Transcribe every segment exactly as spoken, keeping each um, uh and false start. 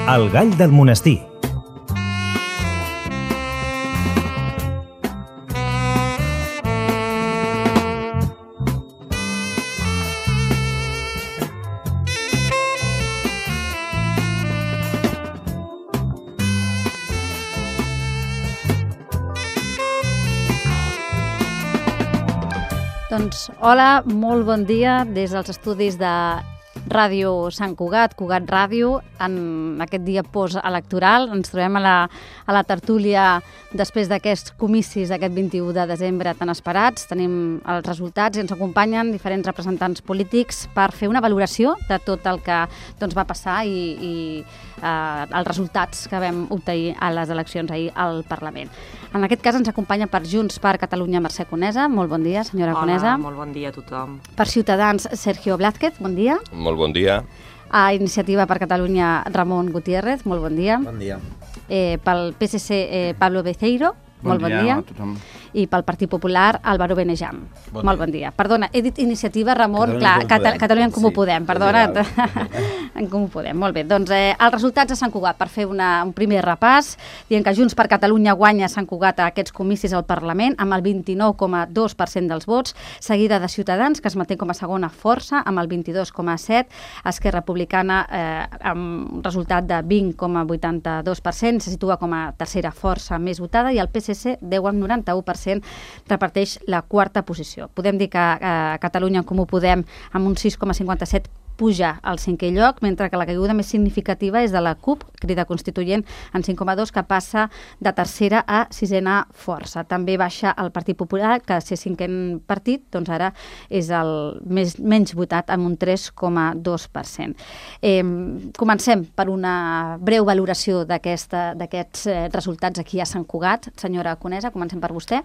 El gall del monestir. Doncs hola, molt bon dia des dels estudis de Ràdio Sant Cugat, Cugat Ràdio, en aquest dia postelectoral. Ens trobem a la, a la tertúlia després d'aquests comicis d'aquest vint-i-u de desembre tan esperats. Tenim els resultats i ens acompanyen diferents representants polítics per fer una valoració de tot el que doncs, va passar i, i eh, els resultats que vam obtenir a les eleccions ahir al Parlament. En aquest cas ens acompanya per Junts per Catalunya Mercè Conesa. Molt bon dia, senyora Hola, Conesa. Molt bon dia a tothom. Per Ciutadans, Sergio Blázquez, bon dia. Molt bon dia. A Iniciativa per Catalunya, Ramon Gutiérrez, molt bon dia. Bon dia. Eh, pel P S C, eh, Pablo Beceiro, bon molt bon dia. dia. A tothom. I pel Partit Popular, Álvaro Benejam. Bon molt dia. bon dia. Perdona, he dit Iniciativa, Ramon, Catalunya clar, en Comú Cata Podem. Catalunya en Comú Sí, Podem, és perdona. igual. En Comú Podem, molt bé. Doncs eh, els resultats de Sant Cugat, per fer una, un primer repàs, dient que Junts per Catalunya guanya Sant Cugat a aquests comicis al Parlament amb el vint-i-nou coma dos per cent dels vots, seguida de Ciutadans, que es manté com a segona força, amb el vint-i-dos coma set per cent, Esquerra Republicana eh, amb un resultat de vint coma vuitanta-dos per cent, se situa com a tercera força més votada, i el P S C, deu coma noranta-u per cent, reparteix la quarta posició. Podem dir que eh, Catalunya en Comú Podem amb un sis coma cinquanta-set puja al cinquè lloc, mentre que la caiguda més significativa és de la CUP, Crida Constituent, en cinc coma dos, que passa de tercera a sisena força. També baixa el Partit Popular, que ser cinquè partit, doncs ara és el més, menys votat, amb un tres coma dos per cent. Eh, comencem per una breu valoració d'aquests eh, resultats aquí a Sant Cugat. Senyora Conesa, comencem per vostè.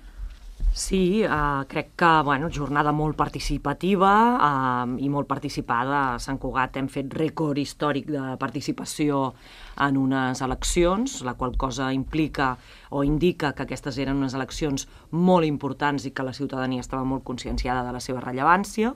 Sí, eh, crec que, bueno, jornada molt participativa eh, i molt participada. A Sant Cugat hem fet rècord històric de participació en unes eleccions, la qual cosa implica o indica que aquestes eren unes eleccions molt importants i que la ciutadania estava molt conscienciada de la seva rellevància.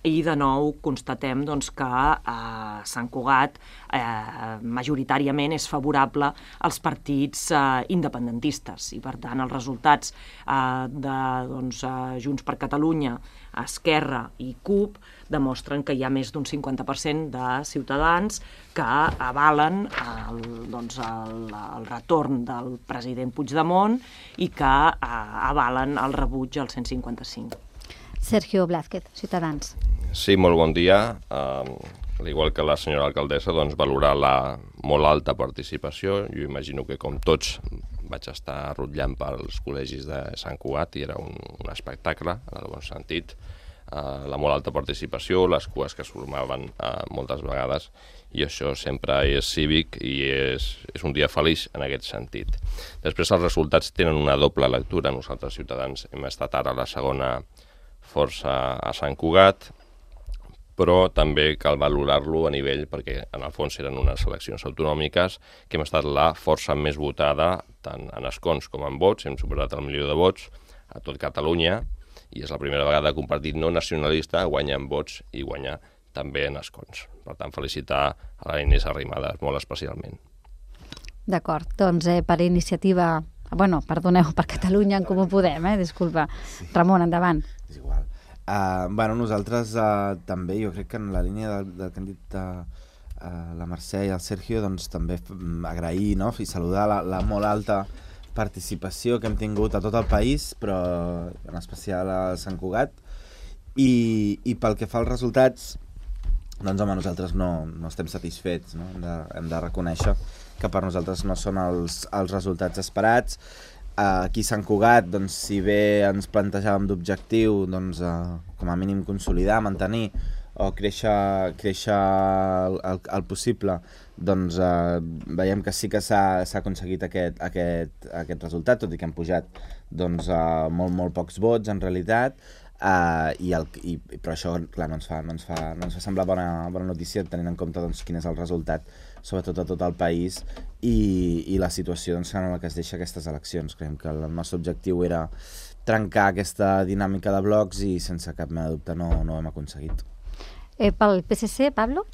I de nou constatem doncs, que eh, Sant Cugat eh, majoritàriament és favorable als partits eh, independentistes i per tant els resultats eh, de doncs, eh, Junts per Catalunya, Esquerra i CUP demostren que hi ha més d'un cinquanta per cent de ciutadans que avalen el, doncs, el, el retorn del president Puigdemont i que eh, avalen el rebuig al cent cinquanta-cinc. Sergio Blázquez, Ciutadans. Sí, molt bon dia. Uh, al igual que la senyora alcaldessa, doncs, valorar la molt alta participació. Jo imagino que, com tots, vaig estar rotllant pels col·legis de Sant Cugat i era un, un espectacle, en el bon sentit. Uh, la molt alta participació, les cues que es formaven uh, moltes vegades, i això sempre és cívic i és, és un dia feliç en aquest sentit. Després els resultats tenen una doble lectura. Nosaltres, Ciutadans, hem estat ara a la segona força a Sant Cugat, però també cal valorar-lo a nivell, perquè en el fons eren unes eleccions autonòmiques, que hem estat la força més votada tant en escons com en vots, hem superat el milió de vots a tot Catalunya, i és la primera vegada que un partit no nacionalista guanya en vots i guanya també en escons. Per tant, felicitar a la Inés Arrimadas molt especialment. D'acord, doncs eh, per iniciativa... Bueno, perdoneu, per Catalunya en Comú Podem, eh? Disculpa. Sí. Ramon, endavant. És igual. Uh, bueno, nosaltres uh, també, jo crec que en la línia del, del que han dit uh, uh, la Mercè i el Sergio, doncs també agrair, no?, i saludar la, la molt alta participació que hem tingut a tot el país, però en especial a Sant Cugat. I, i pel que fa als resultats, doncs home, nosaltres no, no estem satisfets, no? Hem de, hem de reconèixer que per nosaltres no són els, els resultats esperats. Uh, aquí a Sant Cugat, doncs, si bé ens plantejàvem d'objectiu, doncs, uh, com a mínim consolidar, mantenir o créixer, créixer el, el, el possible, doncs uh, veiem que sí que s'ha aconseguit aquest, aquest, aquest resultat, tot i que han pujat doncs, uh, molt, molt pocs vots en realitat. Uh, i el, i, però això clar, no, ens fa, no, ens fa, no ens fa semblar bona, bona notícia tenint en compte doncs, quin és el resultat sobretot a tot el país i, i la situació doncs, en la que es deixa aquestes eleccions. Creiem que el nostre objectiu era trencar aquesta dinàmica de blocs i sense cap mena de dubte no, no ho hem aconseguit. Eh, pel P S C, Pablo?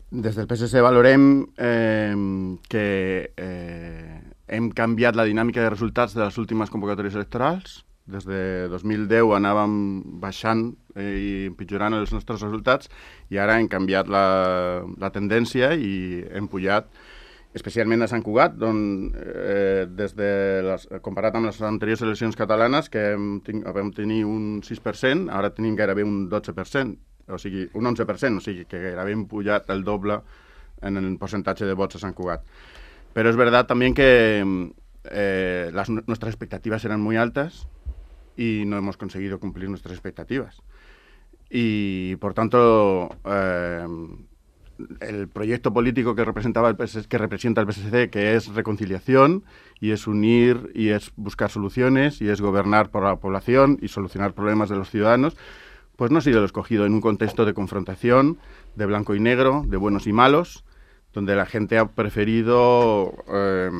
Des del P S C valorem eh, que eh, hem canviat la dinàmica de resultats de les últimes convocatòries electorals. Des de dos mil deu anàvem baixant eh, i empitjorant els nostres resultats i ara hem canviat la, la tendència i hem pujat, especialment a Sant Cugat, on, eh, des de les, comparat amb les anteriors eleccions catalanes, que hem, vam tenir un sis per cent, ara tenim gairebé un dotze per cent, o sigui, un onze per cent, o sigui que gairebé hem pujat el doble en el percentatge de vots a Sant Cugat. Pero es verdad también que eh, las, nuestras expectativas eran muy altas y no hemos conseguido cumplir nuestras expectativas. Y, por tanto, eh, el proyecto político que representaba el P S C, que representa el P S C, que es reconciliación y es unir y es buscar soluciones y es gobernar por la población y solucionar problemas de los ciudadanos, pues no ha sido el escogido en un contexto de confrontación, de blanco y negro, de buenos y malos, donde la gente ha preferido eh,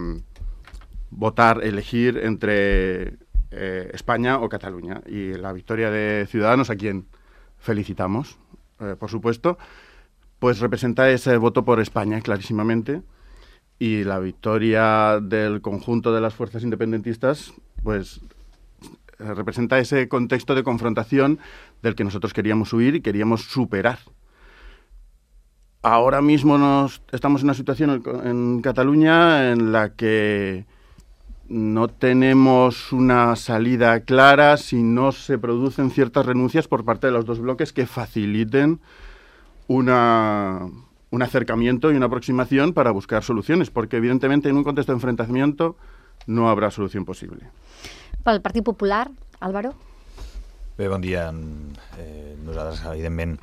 votar, elegir entre eh, España o Cataluña. Y la victoria de Ciudadanos, a quien felicitamos, eh, por supuesto, pues representa ese voto por España clarísimamente, y la victoria del conjunto de las fuerzas independentistas pues representa ese contexto de confrontación del que nosotros queríamos huir y queríamos superar. Ahora mismo nos, estamos en una situación en, en Cataluña en la que no tenemos una salida clara si no se producen ciertas renuncias por parte de los dos bloques que faciliten una, un acercamiento y una aproximación para buscar soluciones, porque evidentemente en un contexto de enfrentamiento no habrá solución posible. Pel Partit Popular, Álvaro? Bé, bon dia. Eh, nosaltres, evidentment,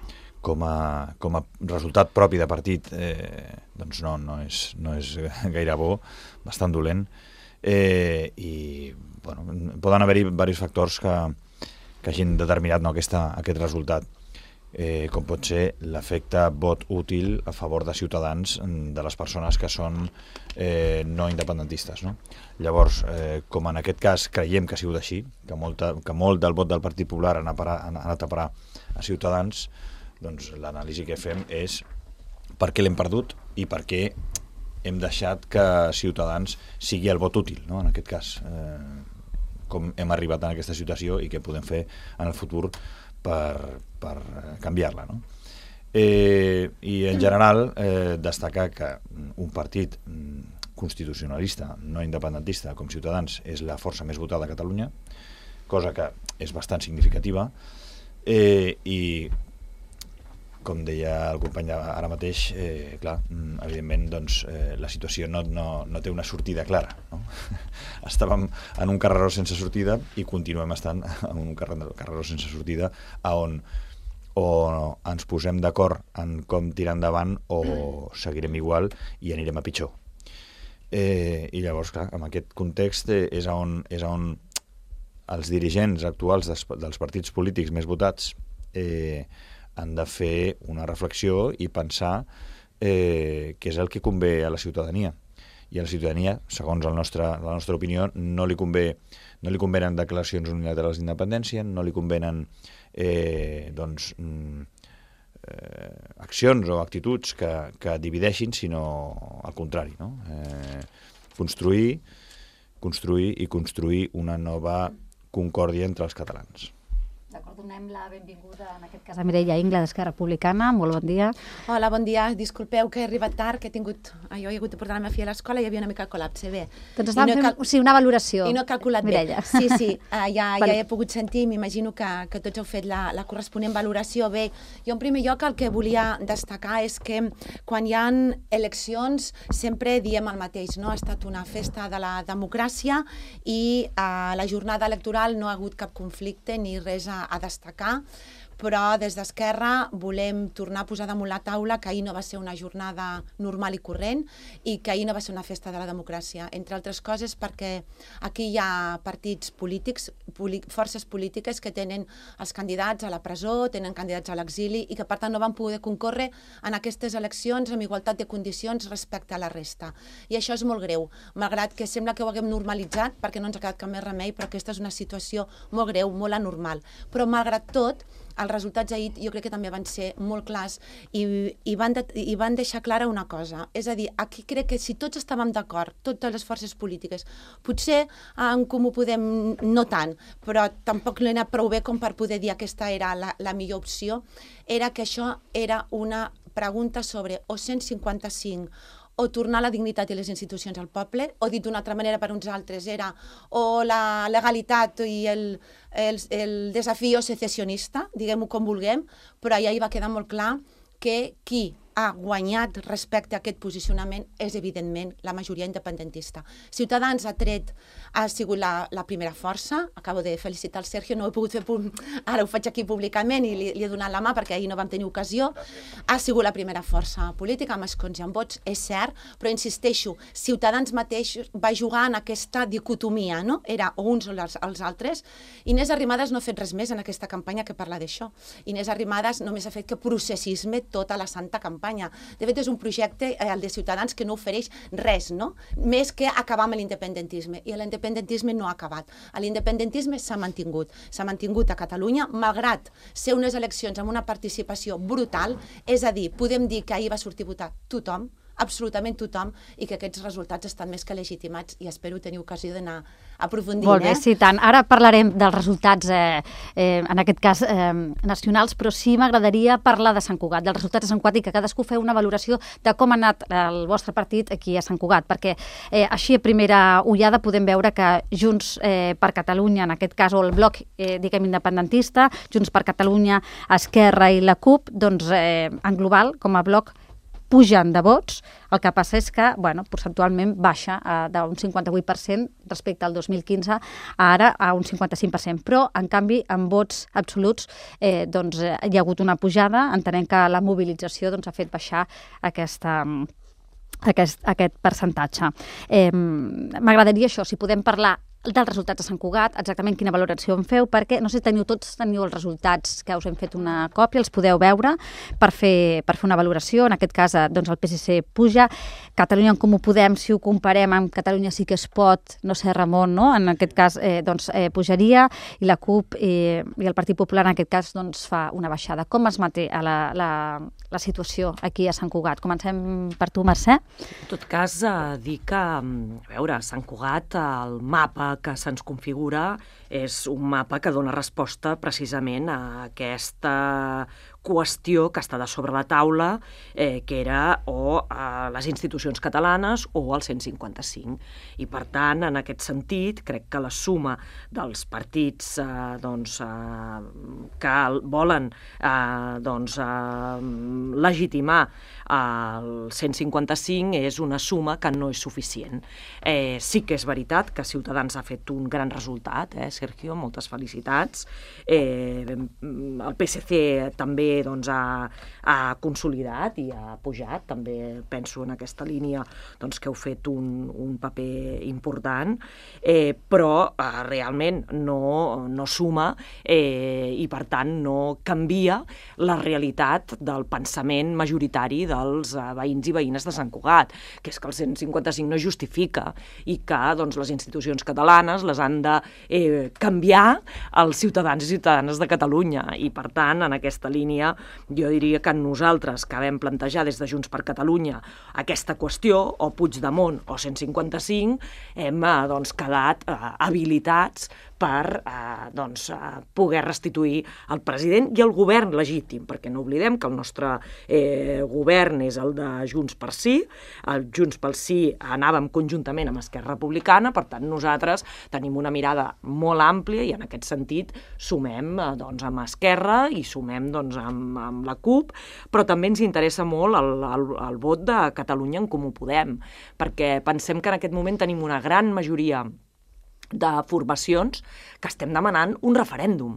com a, com a resultat propi de partit, eh, doncs no, no, és, no és gaire bo, bastant dolent, eh, i bueno, poden haver-hi diversos factors que, que hagin determinat no, aquesta, aquest resultat, eh, com pot ser l'efecte vot útil a favor de Ciutadans de les persones que són eh, no independentistes. No? Llavors, eh, com en aquest cas creiem que ha sigut així, que, molta, que molt del vot del Partit Popular ha anat a parar a Ciutadans, doncs l'anàlisi que fem és per què l'hem perdut i per què hem deixat que Ciutadans sigui el vot útil, no? En aquest cas, eh, com hem arribat en aquesta situació i què podem fer en el futur per, per canviar-la, no? Eh, I en general eh, destacar que un partit constitucionalista, no independentista com Ciutadans és la força més votada a Catalunya, cosa que és bastant significativa, eh, i com deia el company ara mateix, eh, clar, evidentment doncs, eh, la situació no, no, no té una sortida clara. No? Estàvem en un carreró sense sortida i continuem estant en un carreró sense sortida on o ens posem d'acord en com tirar endavant o seguirem igual i anirem a pitjor. Eh, I llavors, clar, en aquest context eh, és on, és on els dirigents actuals des, dels partits polítics més votats eh, han de fer una reflexió i pensar eh, què és el que convé a la ciutadania. I a la ciutadania, segons el nostre, la nostra opinió, no li convé, no li convenen declaracions unilaterals d'independència, no li convenen eh, doncs, eh, accions o actituds que, que divideixin, sinó al contrari, no? Eh, construir, construir i construir una nova concòrdia entre els catalans. D'acord, donem la benvinguda, en aquest cas, a Mireia Ingla, d'Esquerra Republicana. Molt bon dia. Hola, bon dia. Disculpeu que he arribat tard, que he tingut... Jo he hagut de portar la meva filla a l'escola i hi havia una mica de col·lapse. Bé. Doncs estàvem no fent cal... sí, una valoració. I no he calculat Mireia. bé. Sí, sí, uh, ja, ja he pogut sentir, m'imagino que, que tots heu fet la, la corresponent valoració. Bé, jo en primer lloc el que volia destacar és que quan hi ha eleccions sempre diem el mateix, no? Ha estat una festa de la democràcia i uh, la jornada electoral no ha hagut cap conflicte ni res a a destacar, però des d'Esquerra volem tornar a posar damunt la taula que ahir no va ser una jornada normal i corrent i que ahir no va ser una festa de la democràcia, entre altres coses perquè aquí hi ha partits polítics, forces polítiques que tenen els candidats a la presó, tenen candidats a l'exili i que per tant no van poder concórrer en aquestes eleccions amb igualtat de condicions respecte a la resta. I això és molt greu, malgrat que sembla que ho haguem normalitzat perquè no ens ha quedat cap més remei, però aquesta és una situació molt greu, molt anormal. Però malgrat tot, els resultats ahir jo crec que també van ser molt clars i, i, van, de, i van deixar clara una cosa. És a dir, aquí crec que si tots estàvem d'acord, totes les forces polítiques, potser en Comú Podem no tant, però tampoc l'he anat prou bé com per poder dir que aquesta era la, la millor opció, era que això era una pregunta sobre o cent cinquanta-cinc o tornar la dignitat i les institucions al poble, o dit d'una altra manera per uns altres era o la legalitat i el, el, el desafió secessionista, diguem-ho com vulguem, però allà hi va quedar molt clar que qui ha guanyat respecte a aquest posicionament és, evidentment, la majoria independentista. Ciutadans ha tret, ha sigut la, la primera força, acabo de felicitar el Sergio, no ho he pogut fer, ara ho faig aquí públicament i li, li he donat la mà perquè ahir no vam tenir ocasió, ha sigut la primera força política, amb escons i amb vots, és cert, però insisteixo, Ciutadans mateix va jugar en aquesta dicotomia, no? Era o uns o els, els altres. Inés Arrimadas no ha fet res més en aquesta campanya que parlar d'això. Inés Arrimadas només ha fet que processisme tota la santa campanya. De fet, és un projecte, el de Ciutadans, que no ofereix res, no? Més que acabar amb l'independentisme. I l'independentisme no ha acabat. L'independentisme s'ha mantingut. S'ha mantingut a Catalunya, malgrat ser unes eleccions amb una participació brutal, és a dir, podem dir que ahir va sortir a votar tothom, absolutament tothom, i que aquests resultats estan més que legitimats i espero tenir ocasió d'anar aprofundint. Molt bé, eh? sí, tant. Ara parlarem dels resultats, eh, eh, en aquest cas, eh, nacionals, però sí m'agradaria parlar de Sant Cugat, dels resultats de Sant Cugat i que cadascú feu una valoració de com ha anat el vostre partit aquí a Sant Cugat, perquè eh, així a primera ullada podem veure que Junts eh, per Catalunya, en aquest cas, o el bloc, eh, diguem, independentista, Junts per Catalunya, Esquerra i la CUP, doncs, eh, en global, com a bloc, pugen de vots, el que passa és que, bueno, percentualment baixa eh, d'un cinquanta-vuit per cent respecte al dos mil quinze, ara a un cinquanta-cinc per cent, però, en canvi, en vots absoluts, eh, doncs, eh, hi ha hagut una pujada, entenem que la mobilització doncs, ha fet baixar aquesta... Aquest, aquest percentatge. Eh, M'agradaria això, si podem parlar dels resultats de Sant Cugat, exactament quina valoració en feu, perquè no sé si teniu tots teniu els resultats que us hem fet una còpia, els podeu veure per fer, per fer una valoració. En aquest cas, doncs, el P S C puja, Catalunya en Comú Podem, si ho comparem amb Catalunya sí que es pot, no sé, Ramon, no? En aquest cas, eh, doncs, eh, pujaria, i la CUP eh, i el Partit Popular en aquest cas doncs, fa una baixada. Com es manté a la, la, la situació aquí a Sant Cugat? Comencem per tu, Mercè. En tot cas, eh, dir que, a veure, Sant Cugat, el mapa que se'ns configura és un mapa que dona resposta precisament a aquesta qüestió que està de sobre la taula, eh, que era o a les institucions catalanes o al cent cinquanta-cinc. I, per tant, en aquest sentit, crec que la suma dels partits eh, doncs, eh, que volen eh, doncs, eh, legitimar el cent cinquanta-cinc és una suma que no és suficient. Eh, sí que és veritat que Ciutadans ha fet un gran resultat, eh, Sergio, moltes felicitats. Eh, el P S C també doncs, ha, ha consolidat i ha pujat, també penso en aquesta línia doncs, que heu fet un, un paper important, eh, però eh, realment no, no suma eh, i per tant no canvia la realitat del pensament majoritari dels eh, veïns i veïnes de Sant Cugat, que és que el cent cinquanta-cinc no justifica i que doncs, les institucions catalanes les han de eh, canviar els ciutadans i ciutadanes de Catalunya, i per tant en aquesta línia jo diria que nosaltres que vam plantejar des de Junts per Catalunya aquesta qüestió, o Puigdemont o cent cinquanta-cinc, hem eh, doncs, quedat eh, habilitats per eh, doncs, eh, poder restituir el president i el govern legítim, perquè no oblidem que el nostre eh, govern és el de Junts per Sí, el Junts pel Sí anàvem conjuntament amb Esquerra Republicana, per tant nosaltres tenim una mirada molt àmplia i en aquest sentit sumem eh, doncs, amb Esquerra i sumem doncs, amb, amb la CUP, però també ens interessa molt el, el, el vot de Catalunya en Comú Podem, perquè pensem que en aquest moment tenim una gran majoria de formacions que estem demanant un referèndum.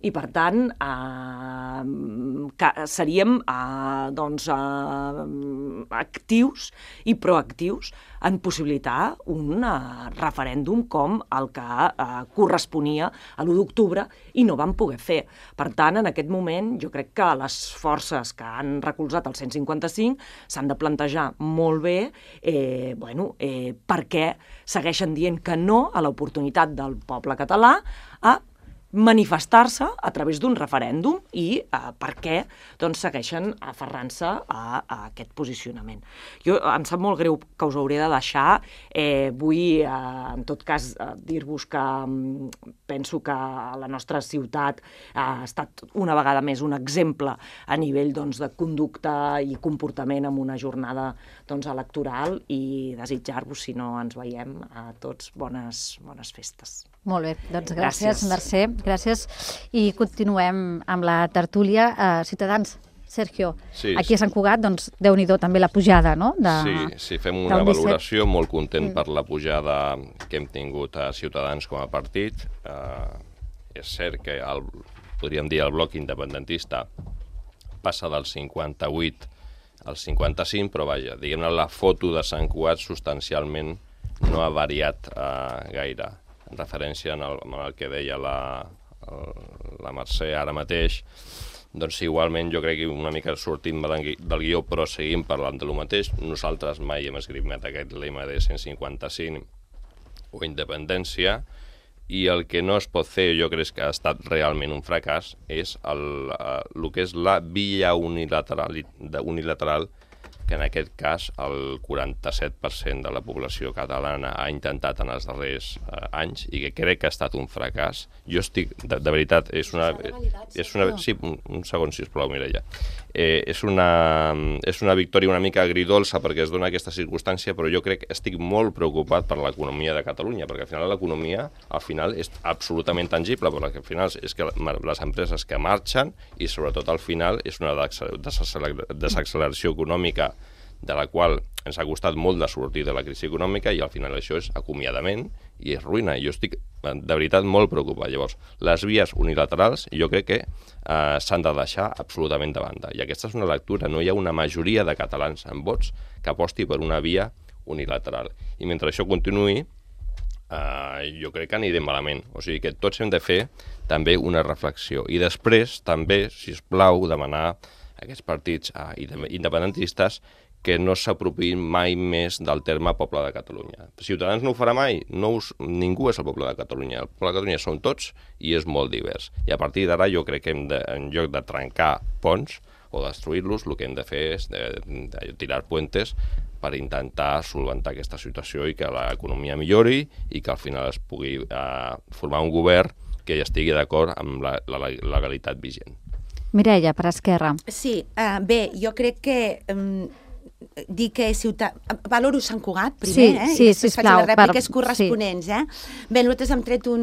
I, per tant, eh, que seríem eh, doncs, eh, actius i proactius en possibilitar un eh, referèndum com el que eh, corresponia a l'u d'octubre i no vam poder fer. Per tant, en aquest moment, jo crec que les forces que han recolzat el cent cinquanta-cinc s'han de plantejar molt bé eh, bueno, eh, per què segueixen dient que no a l'oportunitat del poble català a manifestar-se a través d'un referèndum i eh, per què doncs, segueixen aferrant-se a, a aquest posicionament. Jo em sap molt greu que us hauré de deixar. Eh, vull, eh, en tot cas, eh, dir-vos que um, penso que la nostra ciutat ha estat una vegada més un exemple a nivell doncs, de conducta i comportament en una jornada doncs, electoral i desitjar-vos, si no ens veiem, a tots bones, bones festes. Molt bé, doncs gràcies, Gràcies. Mercè, gràcies. I continuem amb la tertúlia. Uh, Ciutadans, Sergio, Sí, aquí a Sant Cugat, doncs, Déu-n'hi-do també la pujada, no? De, Sí, sí, fem una del disset. valoració, molt content per la pujada que hem tingut a Ciutadans com a partit. Uh, és cert que, el, podríem dir, el bloc independentista passa del cinquanta-vuit al cinquanta-cinc, però vaja, diguem-ne, la foto de Sant Cugat substancialment no ha variat uh, gaire. En referència en el, en el que deia la, el, la Mercè ara mateix, doncs igualment jo crec que una mica sortim del, del guió, però seguim parlant de lo mateix. Nosaltres mai hem esgrimat aquest lema de cent cinquanta-cinc o independència, i el que no es pot fer, jo crec que ha estat realment un fracàs, és el, uh, el que és la via unilateral, unilateral que en aquest cas el quaranta-set per cent de la població catalana ha intentat en els darrers eh, anys i que crec que ha estat un fracàs. Jo estic, de, de veritat, és una... És una sí, un, un segon, sisplau, Mireia. Eh, és, una, és una victòria una mica agridolça perquè es dona aquesta circumstància, però jo crec que estic molt preocupat per l'economia de Catalunya, perquè al final l'economia al final és absolutament tangible, perquè al final és que les empreses que marxen i sobretot al final és una desacceleració econòmica de la qual ens ha costat molt de sortir de la crisi econòmica i al final això és acomiadament i és ruïna. Jo estic de veritat molt preocupat. Llavors, les vies unilaterals jo crec que eh, s'han de deixar absolutament de banda. I aquesta és una lectura. No hi ha una majoria de catalans amb vots que aposti per una via unilateral. I mentre això continuï, eh, jo crec que anirem malament. O sigui que tots hem de fer també una reflexió. I després també, si us plau, demanar a aquests partits eh, independentistes que no s'apropiïn mai més del terme poble de Catalunya. Ciutadans no ho farà mai, no us, ningú és el poble de Catalunya. El poble de Catalunya som tots i és molt divers. I a partir d'ara jo crec que hem de, en lloc de trencar ponts o destruir-los, el que hem de fer és de, de tirar puentes per intentar solventar aquesta situació i que l'economia millori i que al final es pugui eh, formar un govern que ja estigui d'acord amb la, la legalitat vigent. Mireia, per Esquerra. Sí, uh, bé, jo crec que... Um, dir que ciutat... Valoro Sant Cugat, primer, sí, eh? Sí, I després sisplau, faig les rèpliques per... corresponents, sí. eh? Bé, nosaltres hem tret un,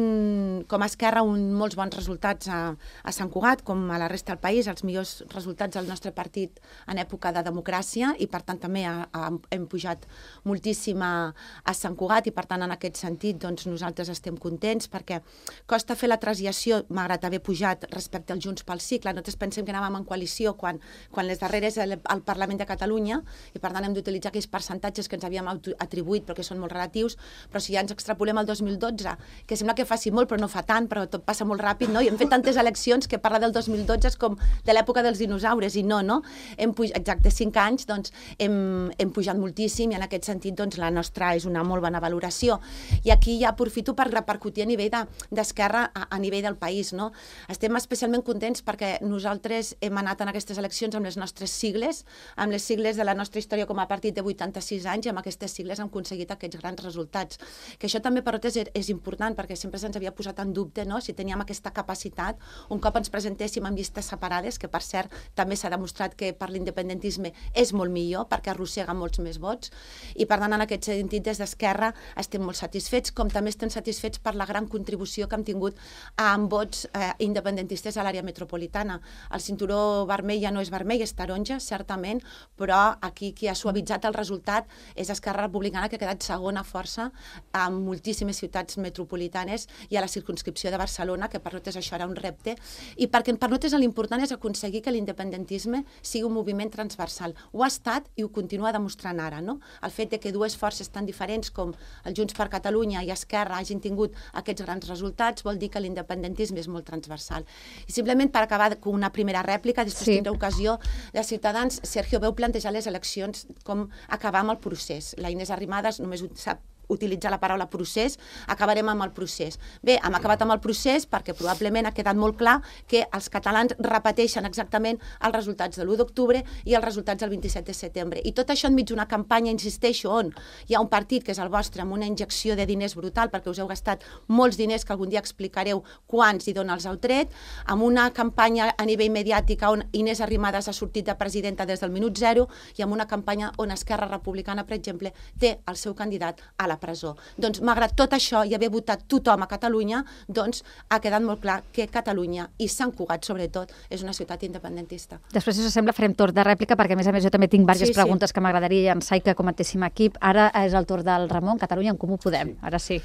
com a Esquerra un, molts bons resultats a, a Sant Cugat, com a la resta del país, els millors resultats del nostre partit en època de democràcia, i per tant també a, a, hem pujat moltíssim a, a Sant Cugat, i per tant en aquest sentit doncs, nosaltres estem contents, perquè costa fer la transició, malgrat haver pujat respecte al Junts pel Cicle. Nosaltres pensem que anàvem en coalició quan, quan les darreres al, al Parlament de Catalunya, i per tant hem d'utilitzar aquells percentatges que ens havíem atribuït però que són molt relatius, però si ja ens extrapolem al dos mil dotze, que sembla que faci molt però no fa tant, però tot passa molt ràpid, no? I hem fet tantes eleccions que parla del dos mil dotze com de l'època dels dinosaures, i no, no? Hem pujat, exacte, cinc anys, doncs hem, hem pujat moltíssim, i en aquest sentit doncs la nostra és una molt bona valoració. I aquí ja aprofito per repercutir a nivell d'Esquerra, de, a, a nivell del país, no? Estem especialment contents perquè nosaltres hem anat en aquestes eleccions amb les nostres sigles, amb les sigles de la nostra història com a partit de vuitanta-sis anys, i amb aquestes sigles hem aconseguit aquests grans resultats. Que això també per nosaltres és important, perquè sempre se'ns havia posat en dubte, no?, si teníem aquesta capacitat, un cop ens presentéssim en llistes separades, que per cert també s'ha demostrat que per l'independentisme és molt millor, perquè arrossega molts més vots, i per tant en aquest sentit des d'Esquerra estem molt satisfets, com també estem satisfets per la gran contribució que hem tingut amb vots eh, independentistes a l'àrea metropolitana. El cinturó vermell ja no és vermell, és taronja, certament, però aquí qui ha suavitzat el resultat és Esquerra Republicana, que ha quedat segona força amb moltíssimes ciutats metropolitanes i a la circumscripció de Barcelona, que per nosaltres això era un repte, i perquè per nosaltres l'important és aconseguir que l'independentisme sigui un moviment transversal. Ho ha estat i ho continua demostrant ara, no? El fet de que dues forces tan diferents com el Junts per Catalunya i Esquerra hagin tingut aquests grans resultats vol dir que l'independentisme és molt transversal. I simplement per acabar amb una primera rèplica, després sí. tindré ocasió de Ciutadans. Sergio, veu plantejar les eleccions com acabar amb el procés. La Inés Arrimadas només ho sap utilitzar la paraula procés, acabarem amb el procés. Bé, hem acabat amb el procés perquè probablement ha quedat molt clar que els catalans repeteixen exactament els resultats de l'u d'octubre i els resultats del vint-i-set de setembre. I tot això enmig d'una campanya, insisteixo, on hi ha un partit que és el vostre amb una injecció de diners brutal perquè us heu gastat molts diners que algun dia explicareu quants i d'on els heu tret, amb una campanya a nivell mediàtic on Inés Arrimadas ha sortit de presidenta des del minut zero i amb una campanya on Esquerra Republicana, per exemple, té el seu candidat a la presó. Doncs, malgrat tot això i haver votat tothom a Catalunya, doncs ha quedat molt clar que Catalunya, i Sant Cugat sobretot, és una ciutat independentista. Després, si us sembla, farem torn de rèplica, perquè a més a més jo també tinc diverses Sí, sí. preguntes que m'agradaria llançar i que comentéssim aquí. Ara és el torn del Ramon, Catalunya en Comú Podem. Ara sí.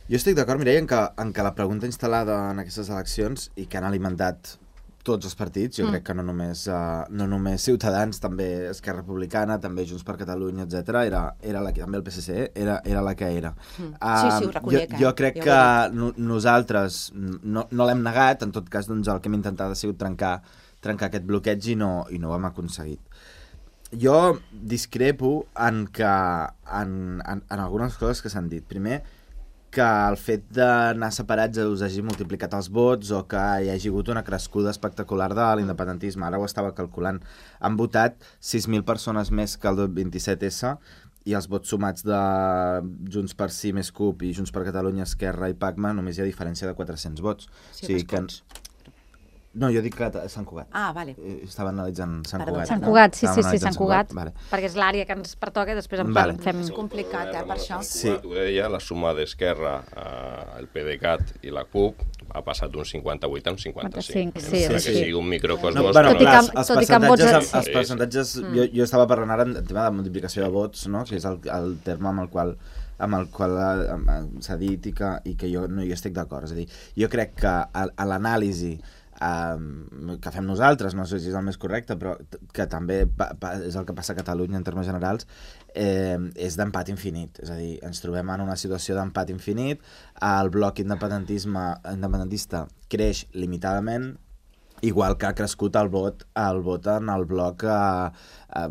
Jo estic d'acord, Mireia, en que, en que la pregunta instal·lada en aquestes eleccions i que han alimentat tots els partits, jo mm. crec que no només, uh, no només Ciutadans, també Esquerra Republicana, també Junts per Catalunya, etcètera, era, era la que, també el P S C, era, era la que era. Mm. Sí, sí, ho reconec. Uh, jo, jo crec eh? que no, nosaltres no, no l'hem negat, en tot cas doncs, el que hem intentat ha sigut trencar, trencar aquest bloqueig i no, i no ho hem aconseguit. Jo discrepo en, que, en, en, en algunes coses que s'han dit. Primer, que el fet d'anar separats us hagi multiplicat els vots o que hi hagi hagut una crescuda espectacular de l'independentisme. Ara ho estava calculant. Han votat sis mil persones més que el vint-i-set essa i els vots sumats de Junts per Sí més C U P i Junts per Catalunya, Esquerra i Pacma només hi ha diferència de quatre-cents vots. Sí, o sigui que... No, jo dic que Sant Cugat. Ah, vale. Estava analitzant Sant Perdó, Cugat. Sant no? Cugat, sí, sí, Estàvem sí, analitzant Sant Cugat, Vale. perquè és l'àrea que ens pertoca i després en Vale. fem... És complicat, eh, per això. Sí. Ho deia, la suma d'Esquerra, eh, el PDeCAT i la C U P ha passat d'un cinquanta-vuit a un cinquanta-cinc. cinquanta-cinc, sí, Encara sí, que sí. sigui un microcosmos. No, bueno, Tot i clar, que- els, els tot i que amb vots- percentatges, sí. els percentatges jo, jo estava parlant ara en tema de multiplicació de vots, no? Que és el, el terme amb el qual amb el qual s'ha dit i que, i que jo no hi estic d'acord. És a dir, jo crec que a, a l'anàlisi Um, que fem nosaltres, no sé si és el més correcte, però que també pa, pa, és el que passa a Catalunya en termes generals, eh, és d'empat infinit. És a dir, ens trobem en una situació d'empat infinit, el bloc independentisme independentista creix limitadament, igual que ha crescut el vot, el vot en el bloc eh, eh,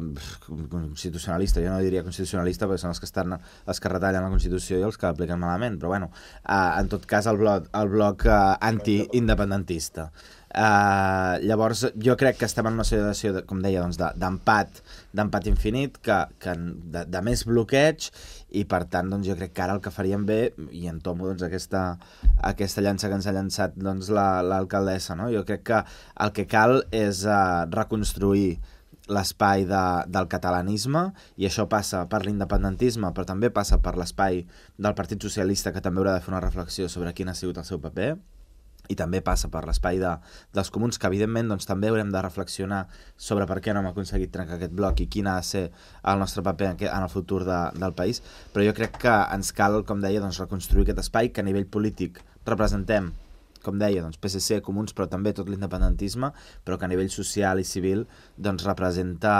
constitucionalista. Jo no diria constitucionalista perquè són els que estan els que retallen la Constitució i els que l'apliquen malament, però bueno, eh, en tot cas el bloc, el bloc eh, anti-independentista. Uh, llavors jo crec que estem en una situació de, com deia, doncs, d'empat d'empat infinit, que, que de, de més bloqueig, i per tant doncs, jo crec que ara el que faríem bé, i entomo doncs, aquesta, aquesta llança que ens ha llançat doncs, l'alcaldessa, no? Jo crec que el que cal és uh, reconstruir l'espai de, del catalanisme, i això passa per l'independentisme, però també passa per l'espai del Partit Socialista, que també haurà de fer una reflexió sobre quin ha sigut el seu paper, i també passa per l'espai de, dels comuns, que evidentment doncs, també haurem de reflexionar sobre per què no hem aconseguit trencar aquest bloc i quin ha de ser el nostre paper en, en el futur de, del país, però jo crec que ens cal, com deia, doncs, reconstruir aquest espai, que a nivell polític representem, com deia, doncs, P S C, comuns, però també tot l'independentisme, però que a nivell social i civil doncs, representa,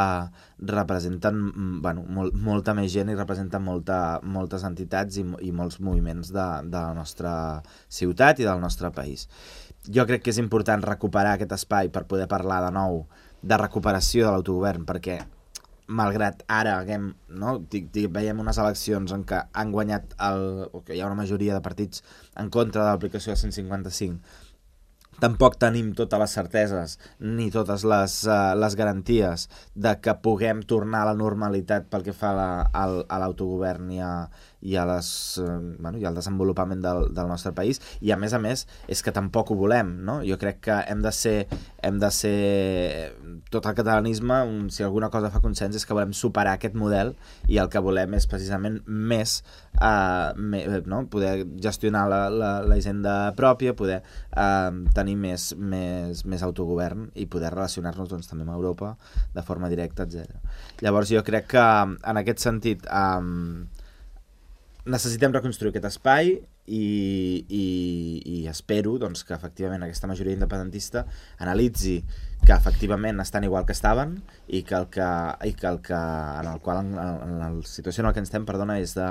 representen bueno, molt, molta més gent i representen molta, moltes entitats i, i molts moviments de, de la nostra ciutat i del nostre país. Jo crec que és important recuperar aquest espai per poder parlar de nou de recuperació de l'autogovern, perquè malgrat ara haguem, no, veiem unes eleccions en què han guanyat el, o que hi ha una majoria de partits en contra de l'aplicació del cent cinquanta-cinc, tampoc tenim totes les certeses ni totes les, uh, les garanties de que puguem tornar a la normalitat pel que fa a, a, a l'autogovern i, a, i, a les, uh, bueno, i al desenvolupament del, del nostre país, i a més a més és que tampoc ho volem, no? Jo crec que hem de ser, hem de ser tot el catalanisme, un, si alguna cosa fa consens és que volem superar aquest model, i el que volem és precisament més uh, me, no? poder gestionar la, la, la hisenda pròpia, poder uh, tenir més, més, més autogovern i poder relacionar-nos doncs, també amb Europa de forma directa, etcètera. Llavors jo crec que en aquest sentit um, necessitem reconstruir aquest espai i, i, i espero doncs, que efectivament aquesta majoria independentista analitzi que efectivament estan igual que estaven i que el que, i que, el que en el qual en, en la situació en la que ens estem, perdona, és de,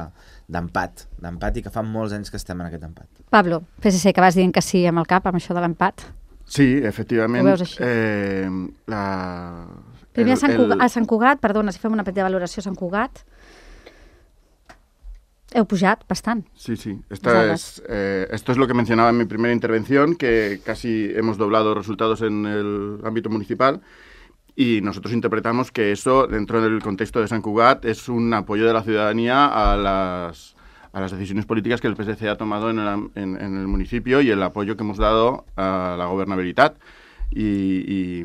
d'empat, d'empat i que fa molts anys que estem en aquest empat. Pablo, P S C, que vas dient que sí amb el cap, amb això de l'empat. Sí, efectivament. Ho veus així? Eh, la, Primer el, a Sant, Cugat, el... a Sant Cugat, perdona, si fem una petita valoració a Sant Cugat. Heu pujat bastant. Sí, sí. Esta es, eh, esto es lo que mencionaba en mi primera intervención, que casi hemos doblado resultados en el ámbito municipal y nosotros interpretamos que eso, dentro del contexto de Sant Cugat, es un apoyo de la ciudadanía a las, a las decisiones políticas que el P S C ha tomado en el, en, en el municipio y el apoyo que hemos dado a la gobernabilidad. Y, y,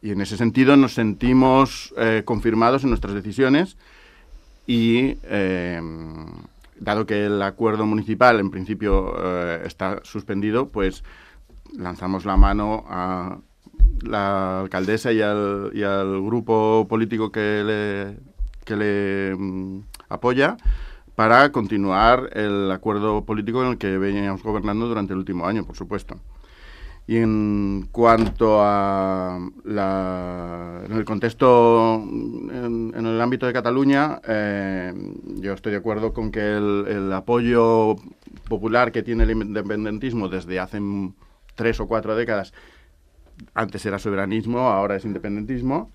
y en ese sentido nos sentimos eh, confirmados en nuestras decisiones. Y eh, dado que el acuerdo municipal en principio eh, está suspendido, pues lanzamos la mano a la alcaldesa y al, y al grupo político que le, que le um, apoya para continuar el acuerdo político en el que veníamos gobernando durante el último año, por supuesto. Y en cuanto a la, en el contexto, en, en el ámbito de Cataluña, eh, yo estoy de acuerdo con que el, el apoyo popular que tiene el independentismo desde hace tres o cuatro décadas, antes era soberanismo, ahora es independentismo,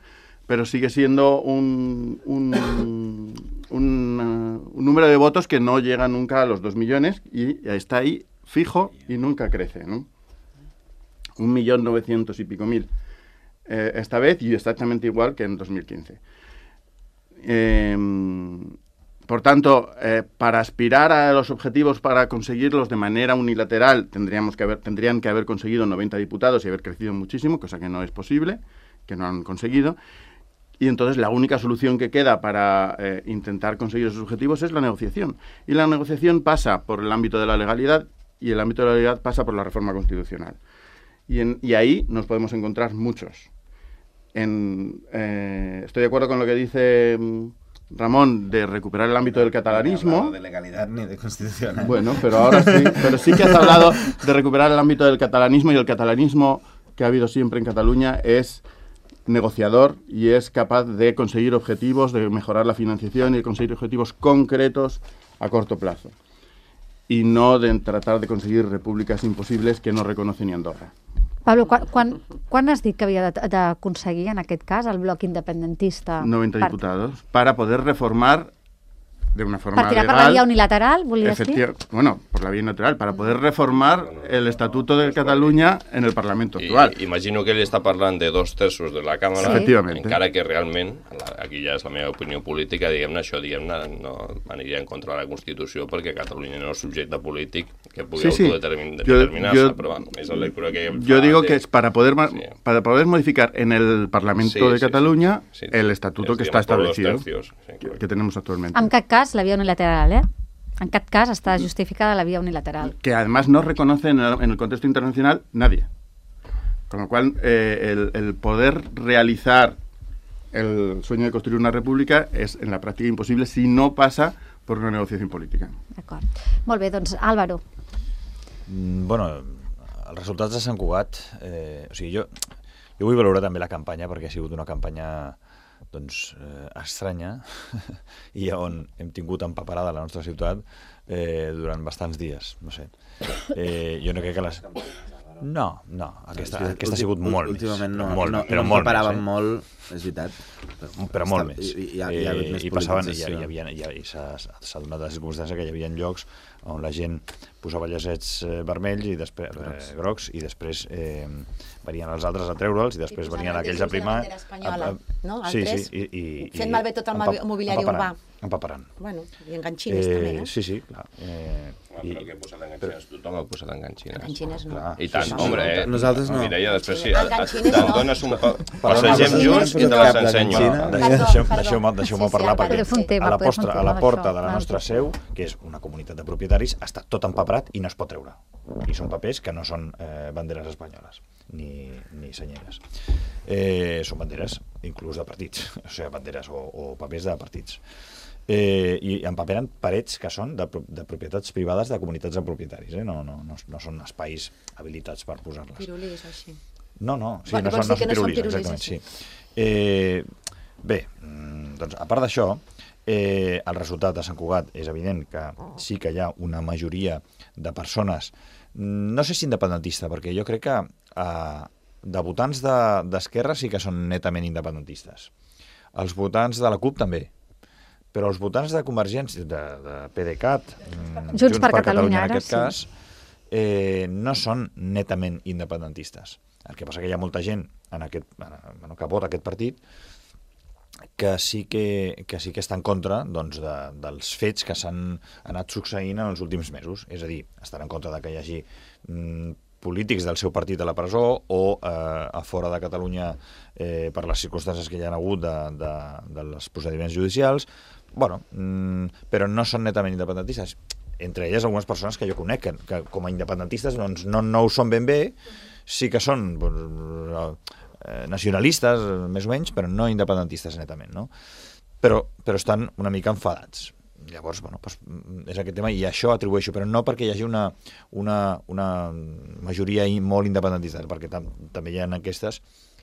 pero sigue siendo un, un, un, un, un número de votos que no llega nunca a los dos millones y está ahí fijo y nunca crece, ¿no? Un millón novecientos y pico mil eh, esta vez y exactamente igual que en dos mil quince. Eh, por tanto, eh, para aspirar a los objetivos, para conseguirlos de manera unilateral, tendríamos que haber, tendrían que haber conseguido noventa diputados y haber crecido muchísimo, cosa que no es posible, que no han conseguido. Y entonces la única solución que queda para eh, intentar conseguir esos objetivos es la negociación. Y la negociación pasa por el ámbito de la legalidad y el ámbito de la legalidad pasa por la reforma constitucional. Y, en, y ahí nos podemos encontrar muchos. En, eh, estoy de acuerdo con lo que dice Ramón de recuperar el ámbito del catalanismo. No de legalidad ni de constitucional. Bueno, pero ahora sí. Pero sí que has hablado de recuperar el ámbito del catalanismo y el catalanismo que ha habido siempre en Cataluña es negociador y es capaz de conseguir objetivos, de mejorar la financiación y de conseguir objetivos concretos a corto plazo. Y no de tratar de conseguir repúblicas imposibles que no reconoce ni Andorra. Pablo, quan, quan, quan has dit que havia d'aconseguir, en aquest cas, el bloc independentista? noventa per... diputados, para poder reformar de una forma legal... ¿Para tirar legal, per la vía unilateral, volies dir? Bueno, por la vía unilateral, para poder reformar el Estatuto de Catalunya en el Parlamento actual. I, imagino que ell està parlant de dos terços de la Càmera, sí. Efectivament. Encara que realment, aquí ja és la meva opinió política, diguem-ne, això diguem-ne, no aniria en contra de la Constitució perquè Catalunya no és subjecte polític que pugui sí, sí. autodeterminar-se, però bueno, és la lectura que... Yo digo de... que es para poder, sí. para poder modificar en el Parlamento sí, de Catalunya sí, sí. Sí. el Estatuto es, que digamos, está establecido, tercios, sí, que, que tenemos actualmente. En cap cas, la vía unilateral, ¿eh? En cap cas està justificada la vía unilateral. Que además no reconoce en el, en el contexto internacional nadie. Con lo cual, eh, el, el poder realizar el sueño de construir una república es en la práctica imposible si no pasa por una negociación política. D'acord. Molt bé, doncs Álvaro. Mm, bueno, els resultats de Sant Cugat, eh, o sigui, jo, jo vull valorar també la campanya perquè ha sigut una campanya doncs, eh, estranya i on hem tingut empaparada la nostra ciutat eh, durant bastants dies, no sé. Eh, jo no crec que les... No, no, aquesta, sí, aquesta ha sigut molt últimament més. No, molt, no, però no molt paràvem més, eh? molt, és veritat. Però, però molt més. I, i, hi ha hagut més I passaven, i, politització. hi havia, hi havia, i s'ha donat la circumstància que hi havia llocs on la gent posava llacets eh, vermells i després grocs, eh, grocs i després eh, venien els altres a treure'ls i després venien aquells a primar. Espanyola, no? Sí, sí. I, i, fent malbé tot el mobiliari urbà. Empaparant. Bueno, i enganxines eh, també, no? Sí, sí, clar. Eh, Ah, però que he posat enganxines, tothom ha posat enganxines. Enganxines no. I tant, sí, sí, home, eh? Nosaltres no. Mireia, després sí, enganxines te'n no. dones un... Passegem junts i te les ensenyo. Deixeu-me deixeu parlar perquè tema, a la, postra, a la porta això, de la nostra seu, que és una comunitat de propietaris, està tot empaperat i no es pot treure. I són papers que no són eh, banderes espanyoles, ni, ni senyeres. Eh, són banderes inclús de partits, o sigui, banderes o, o papers de partits. Eh, i empaperen parets que són de, de propietats privades de comunitats de propietaris, eh? no, no, no, no són espais habilitats per posar-les. Pirulís, així. No, no, sí, bueno, no, són, no són pirulís, pirulís exactament, sí. Eh, bé, doncs a part d'això, eh, el resultat de Sant Cugat és evident que sí que hi ha una majoria de persones, no sé si independentista, perquè jo crec que eh, de votants d'esquerra de, sí que són netament independentistes. Els votants de la CUP també, però els votants de Convergència, de, de PDeCAT, Junts, Junts per, per Catalunya, en aquest ara, cas, sí. eh, no són netament independentistes. El que passa que hi ha molta gent en aquest, bueno, que vota aquest partit que sí que, que sí que està en contra, doncs, de, dels fets que s'han anat succeint en els últims mesos. És a dir, estan en contra de que hi hagi mm, polítics del seu partit a la presó o eh, a fora de Catalunya eh, per les circumstàncies que hi ha hagut de, de, de els procediments judicials. Bueno, mm, però no són netament independentistes. Entre elles algunes persones que jo conec, que, que com a independentistes doncs, no, no ho són ben bé, sí que són doncs, eh, nacionalistes, més o menys, però no independentistes netament, no? Però, però estan una mica enfadats. Llavors, bueno, doncs, és aquest tema, i això atribueixo, però no perquè hi hagi una, una, una majoria molt independentista, perquè tam també hi ha enquestes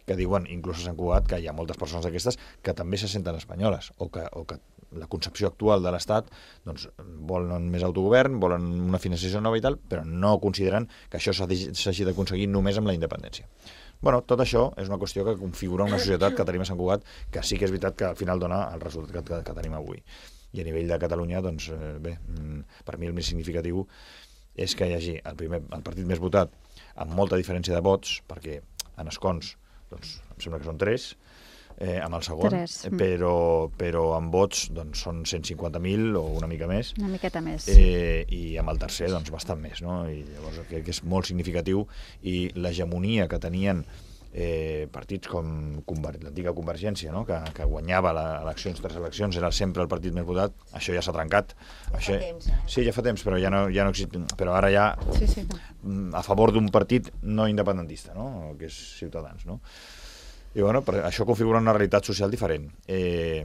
que diuen, inclús a Sant Cugat, que hi ha moltes persones d'aquestes que també se senten espanyoles, o que, o que la concepció actual de l'Estat doncs, volen més autogovern, volen una financiació nova i tal, però no consideren que això s'hagi d'aconseguir només amb la independència. Bueno, tot això és una qüestió que configura una societat que tenim a Sant Cugat, que sí que és veritat que al final dona el resultat que, que, que tenim avui. I a nivell de Catalunya, doncs, eh, bé, per mi el més significatiu és que hi hagi el, primer, el partit més votat amb molta diferència de vots, perquè en escons doncs, em sembla que són tres, eh, amb el segon, tres. però, però amb vots doncs, són cent cinquanta mil o una mica més. Una miqueta més. Eh, I amb el tercer, doncs, bastant més, no? I llavors crec que és molt significatiu, i l'hegemonia que tenien eh, partits com Conver l'antiga Convergència, no? que, que guanyava les eleccions, tres eleccions, era sempre el partit més votat, això ja s'ha trencat. Ja això... fa temps, eh? Sí, ja fa temps, però ja no, ja no existe. Però ara ja Sí, sí. a favor d'un partit no independentista, no? Que és Ciutadans, no? I bueno, això configura una realitat social diferent. Eh,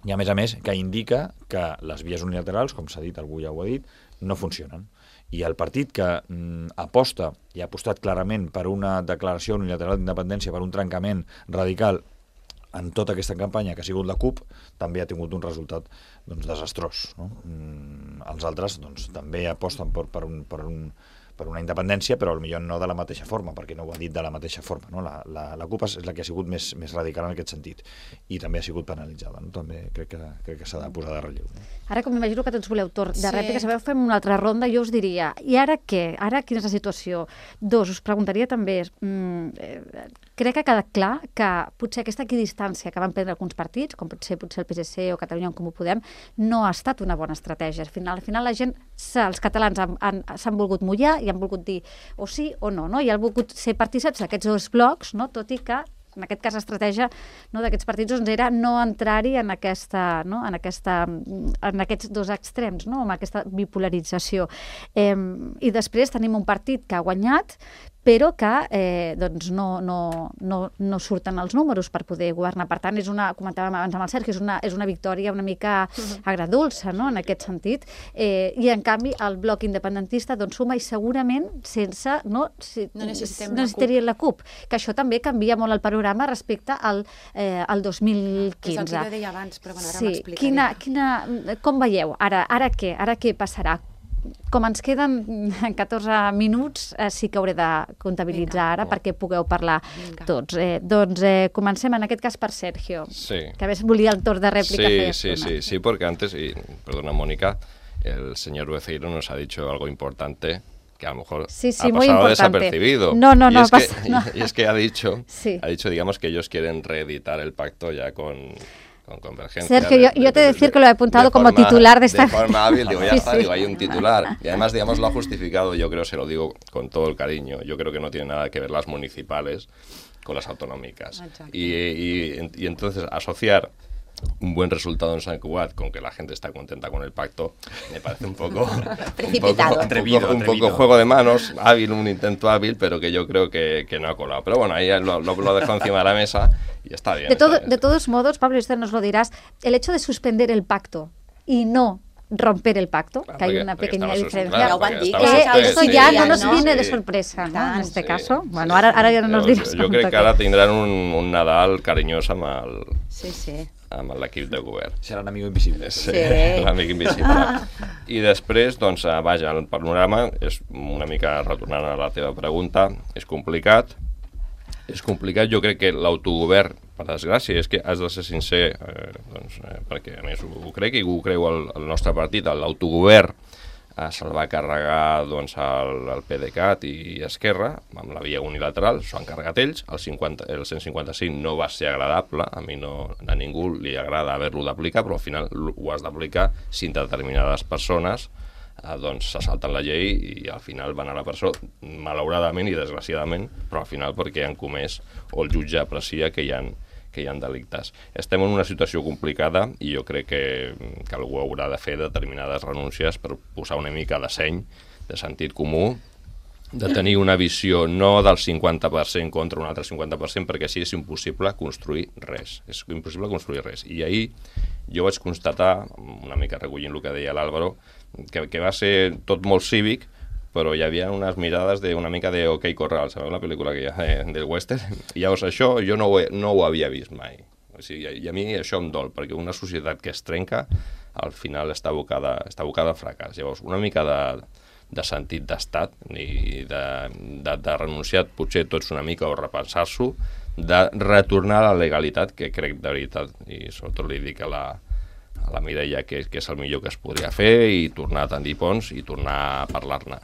I a més a més, que indica que les vies unilaterals, com s'ha dit, algú ja ho ha dit, no funcionen. I el partit que mm, aposta i ha apostat clarament per una declaració unilateral d'independència, per un trencament radical en tota aquesta campanya, que ha sigut la CUP, també ha tingut un resultat doncs, desastrós. No? Mm, els altres doncs, també aposten per, per, un, per, un, per una independència, però potser no de la mateixa forma, perquè no ho ha dit de la mateixa forma. No? La, la, la CUP és la que ha sigut més, més radical en aquest sentit, i també ha sigut penalitzada. No? També crec que, crec que s'ha de posar de relleu. No? Ara, com m'imagino que tots voleu torn de Sí. rèplica, sabeu, fem una altra ronda, jo us diria, i ara què? Ara quina és la situació? Dos, us preguntaria també, mm, eh, crec que ha quedat clar que potser aquesta equidistància que van prendre alguns partits, com pot ser potser el P S C o Catalunya en Comú Podem, no ha estat una bona estratègia. Al final, al final la gent, els catalans s'han volgut mullar i han volgut dir o sí o no, no? I han volgut ser partícips d'aquests dos blocs, no? Tot i que en aquest cas l'estratègia no, d'aquests partits doncs, era no entrar-hi en, aquesta, no? en, aquesta, en aquests dos extrems, no? En aquesta bipolarització. Eh, I després tenim un partit que ha guanyat, però que eh, doncs no, no, no, no surten els números per poder governar. Per tant, és una, comentàvem abans amb el Sergi, és una, és una victòria una mica agradolça, no? En aquest sentit. Eh, I, en canvi, el bloc independentista doncs, suma i segurament sense... No, si, No necessitem no la necessitaria la CUP, que això també canvia molt el panorama respecte al, eh, al dos mil quinze. És el que jo deia abans, però bueno, ara Sí, m'explicaré. quina, quina, com veieu? Ara, ara què? Ara què passarà? Com ens queden catorze minuts, eh, sí que hauré de comptabilitzar Vinga. ara perquè pugueu parlar Vinga. tots. Eh, doncs eh, comencem en aquest cas per Sergio, Sí. que a més volia el torn de rèplica. feia Sí, sí, estona. sí, sí, porque antes, y perdona Mónica, el señor Beceiro nos ha dicho algo importante que a lo mejor Sí, sí, ha muy pasado importante. desapercibido. No, no, y no es pasa- que, no. Y, y es que ha dicho, Sí. ha dicho, digamos, que ellos quieren reeditar el pacto ya con, con Convergencia. Sergio, de- yo- yo te de- decir de- que lo he apuntado de como forma- titular de esta- De forma hábil, digo, ya Sí, está, sí. digo, hay un titular. Y además, digamos, lo ha justificado, yo creo, se lo digo con todo el cariño, yo creo que no tiene nada que ver las municipales con las autonómicas. Exacto. Y, y, y entonces asociar un buen resultado en San Cugat con que la gente está contenta con el pacto me parece un poco Precipitado. un poco, Atrevido, un poco, un atrevido. poco juego de manos, hábil, un intento hábil, pero que yo creo que, que no ha colado. Pero bueno, ahí lo, lo, lo dejo encima de la mesa y está bien. De, está todo, bien. de todos modos, Pablo, y usted nos lo dirás, el hecho de suspender el pacto y no romper el pacto, Claro, que hay porque- una porque pequeña estaba diferencia. sus- Ya lo van a decir, estaba Que Estamos usted, esto ustedes, ya sí, no nos ¿no? viene de Sí. sorpresa, ¿no? En este Sí, caso. sí, Bueno, sí. ara, ara ja no nos Yo- diràs. Yo creo que ara tindran un, un Nadal carinyós amb el, Sí, sí. amb l'equip de govern. Serà l'amic invisible. Sí, Sí. l'amic invisible. I després, doncs, eh, vaja, el panorama és una mica retornant a la teva pregunta, és complicat. És complicat, jo crec que l'autogovern per desgràcia, és que has de ser sincer, eh, doncs, eh, perquè a més ho, ho crec i ho creu el, el nostre partit, l'autogovern eh, se'l va carregar doncs, el, el PDeCAT i Esquerra, amb la via unilateral, s'ho han carregat ells, el, cinquanta, el cent cinquanta-cinc no va ser agradable, a mi no, a ningú li agrada haver-lo d'aplicar, però al final ho has d'aplicar si determinades persones eh, doncs se salten la llei i al final van a la presó, malauradament i desgraciadament, però al final perquè han comès o el jutge aprecia que hi ha que hi ha delictes. Estem en una situació complicada i jo crec que, que algú haurà de fer determinades renúncies per posar una mica de seny, de sentit comú, de tenir una visió no del cinquanta per cent contra un altre cinquanta per cent, perquè així és impossible construir res. És impossible construir res. I ahir jo vaig constatar, una mica recollint el que deia l'Àlvaro, que, que va ser tot molt cívic, però hi havia unes mirades de una mica de OK Corral, sabeu la pel·lícula que hi ha eh, del western? I llavors això jo no ho, he, no ho havia vist mai. O sigui, i a mi això em dol, perquè una societat que es trenca al final està abocada, està abocada al fracàs. Llavors, una mica de, de sentit d'estat i de, de, de renunciar potser tots una mica o repensar-s'ho, de retornar a la legalitat, que crec de veritat, i sobretot li dic a la, a la Mireia que, que és el millor que es podria fer, i tornar a tendir ponts i tornar a parlar-ne.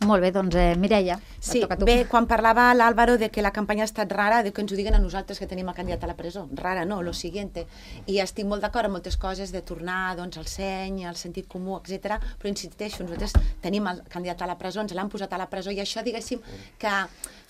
Molt bé, doncs eh, Mireia, sí, toca a tu. Bé, quan parlava l'Àlvaro de que la campanya ha estat rara, de que ens ho diguen a nosaltres que tenim el candidat a la presó. Rara no, lo siguiente. I estic molt d'acord amb moltes coses de tornar doncs, al seny, al sentit comú, etcètera. Però insisteixo, nosaltres tenim el candidat a la presó, ens l'han posat a la presó i això, diguéssim, que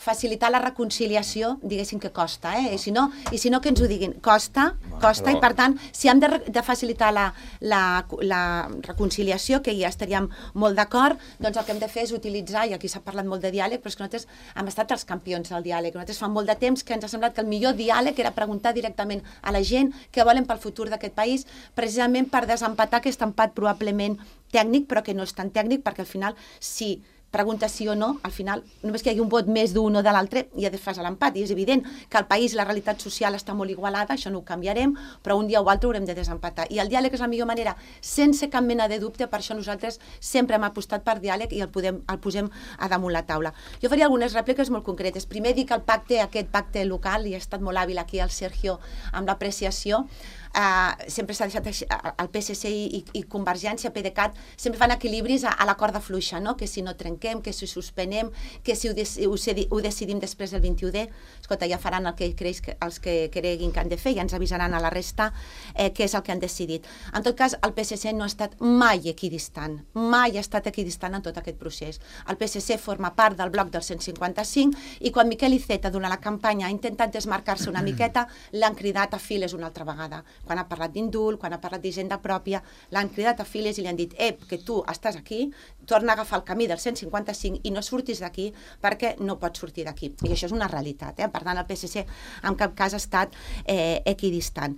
facilitar la reconciliació, diguéssim que costa, eh? I si no, i si no que ens ho diguin, costa, costa, i per tant, si hem de, de facilitar la, la, la reconciliació, que ja estaríem molt d'acord, doncs el que hem de fer és utilitzar, i aquí s'ha parlat molt de diàleg, però és que nosaltres hem estat els campions del diàleg. Nosaltres fa molt de temps que ens ha semblat que el millor diàleg era preguntar directament a la gent què volen pel futur d'aquest país, precisament per desempatar aquest empat probablement tècnic, però que no és tan tècnic, perquè al final, si pregunta sí o no, al final, només que hi hagi un vot més d'un o de l'altre, ja desfas l'empat. I és evident que el país, la realitat social està molt igualada, això no ho canviarem, però un dia o altre haurem de desempatar. I el diàleg és la millor manera, sense cap mena de dubte, per això nosaltres sempre hem apostat per diàleg i el, podem, el posem a damunt la taula. Jo faria algunes rèpliques molt concretes. Primer dic que el pacte, aquest pacte local, i ha estat molt hàbil aquí el Sergio amb l'apreciació, Uh, sempre s'ha deixat el P S C i, i Convergència, PDeCAT, sempre fan equilibris a, a la corda fluixa, no? Que si no trenquem, que si suspenem, que si ho, de, ho, ho decidim després del vint-i-u D, escolta, ja faran el que creix que, els que creguin que han de fer, ja ens avisaran a la resta eh, què és el que han decidit. En tot cas, el P S C no ha estat mai equidistant, mai ha estat equidistant en tot aquest procés. El P S C forma part del bloc del cent cinquanta-cinc i quan Miquel Iceta, durant la campanya, ha intentat desmarcar-se una miqueta, l'han cridat a files una altra vegada. Quan ha parlat d'indult, quan ha parlat d'hisenda pròpia, l'han cridat a files i li han dit ep, que tu estàs aquí, torna a agafar el camí del cent cinquanta-cinc i no surtis d'aquí perquè no pots sortir d'aquí. I això és una realitat, eh? Per tant, el P S C en cap cas ha estat eh, equidistant.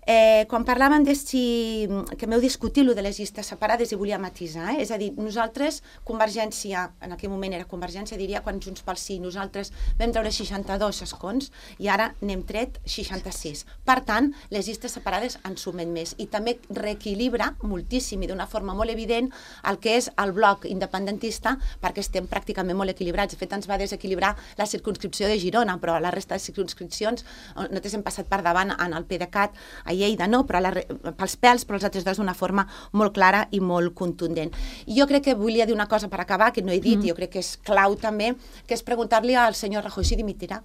Eh, quan parlàvem de si, que m'heu discutit lo de les llistes separades i volia matisar, eh? És a dir, nosaltres, Convergència, en aquell moment era Convergència, diria, quan Junts pel Sí, nosaltres vam treure seixanta-dos escons i ara n'hem tret seixanta-sis. Per tant, les llistes separades en sumen més i també reequilibra moltíssim i d'una forma molt evident el que és el bloc independentista, perquè estem pràcticament molt equilibrats. De fet, ens va desequilibrar la circumscripció de Girona, però la resta de circumscripcions nosaltres hem passat per davant en el PDeCAT, a Lleida no, però la, pels pèls, però els altres dos d'una forma molt clara i molt contundent. I jo crec que volia dir una cosa per acabar, que no he dit, mm. i jo crec que és clau també, que és preguntar-li al senyor Rajoy si dimitirà.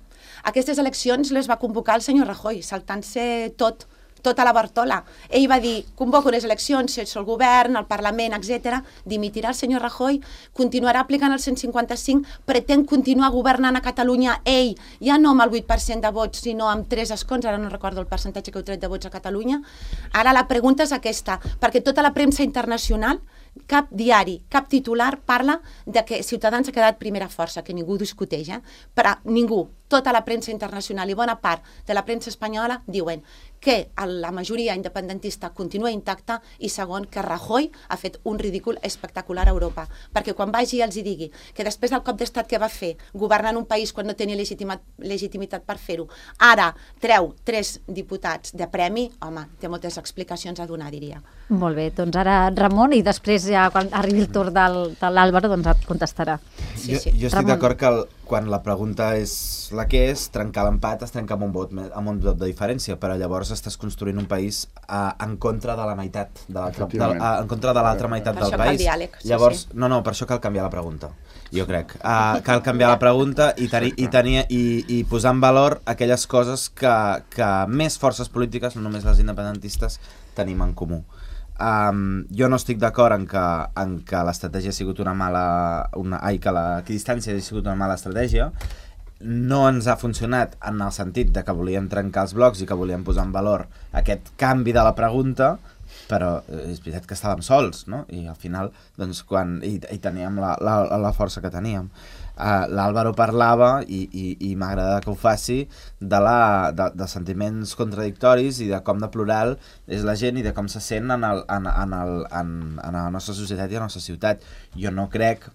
Aquestes eleccions les va convocar el senyor Rajoy, saltant-se tot, tota la Bartola. Ell va dir, convoco unes eleccions, si ets el govern, el Parlament, etcètera, dimitirà el senyor Rajoy, continuarà aplicant el cent cinquanta-cinc, pretén continuar governant a Catalunya ell, ja no amb el vuit per cent de vots, sinó amb tres escons, ara no recordo el percentatge que heu tret de vots a Catalunya. Ara la pregunta és aquesta, perquè tota la premsa internacional, cap diari, cap titular parla de que Ciutadans ha quedat primera força, que ningú discuteix, eh? Però ningú, tota la premsa internacional i bona part de la premsa espanyola diuen que la majoria independentista continua intacta i segon, que Rajoy ha fet un ridícul espectacular a Europa, perquè quan vagi i els hi digui que després del cop d'estat que va fer governant un país quan no tenia legitimitat, legitimitat per fer-ho, ara treu tres diputats de premi, home, té moltes explicacions a donar, diria. Molt bé, doncs ara Ramon i després ja quan arribi el torn del, de l'Àlvaro doncs et contestarà. Sí, sí. Jo, jo estic d'acord que el, quan la pregunta és la que és, trencar l'empat es trenca amb un vot, amb un vot de diferència, però llavors estàs construint un país uh, en contra de la meitat, de l'altra, de, uh, en contra de l'altra meitat per del país. país. Diàleg, sí, llavors, sí. no, no, per això cal canviar la pregunta, jo crec. Uh, cal canviar la pregunta i, tenir, i, tenir, i, i posar en valor aquelles coses que, que més forces polítiques, no només les independentistes, tenim en comú. Um, jo no estic d'acord en que, en que l'estratègia ha sigut una mala... Una, ai, que la distància ha sigut una mala estratègia. No ens ha funcionat en el sentit de que volíem trencar els blocs i que volíem posar en valor aquest canvi de la pregunta, però és veritat que estàvem sols, no? I al final, doncs, quan... I, i teníem la, la, la força que teníem. Uh, L'Àlvaro parlava, i, i, i m'agrada que ho faci, de, la, de, de sentiments contradictoris i de com de plural és la gent i de com se sent en, el, en, en, el, en, en la nostra societat i a la nostra ciutat. Jo no crec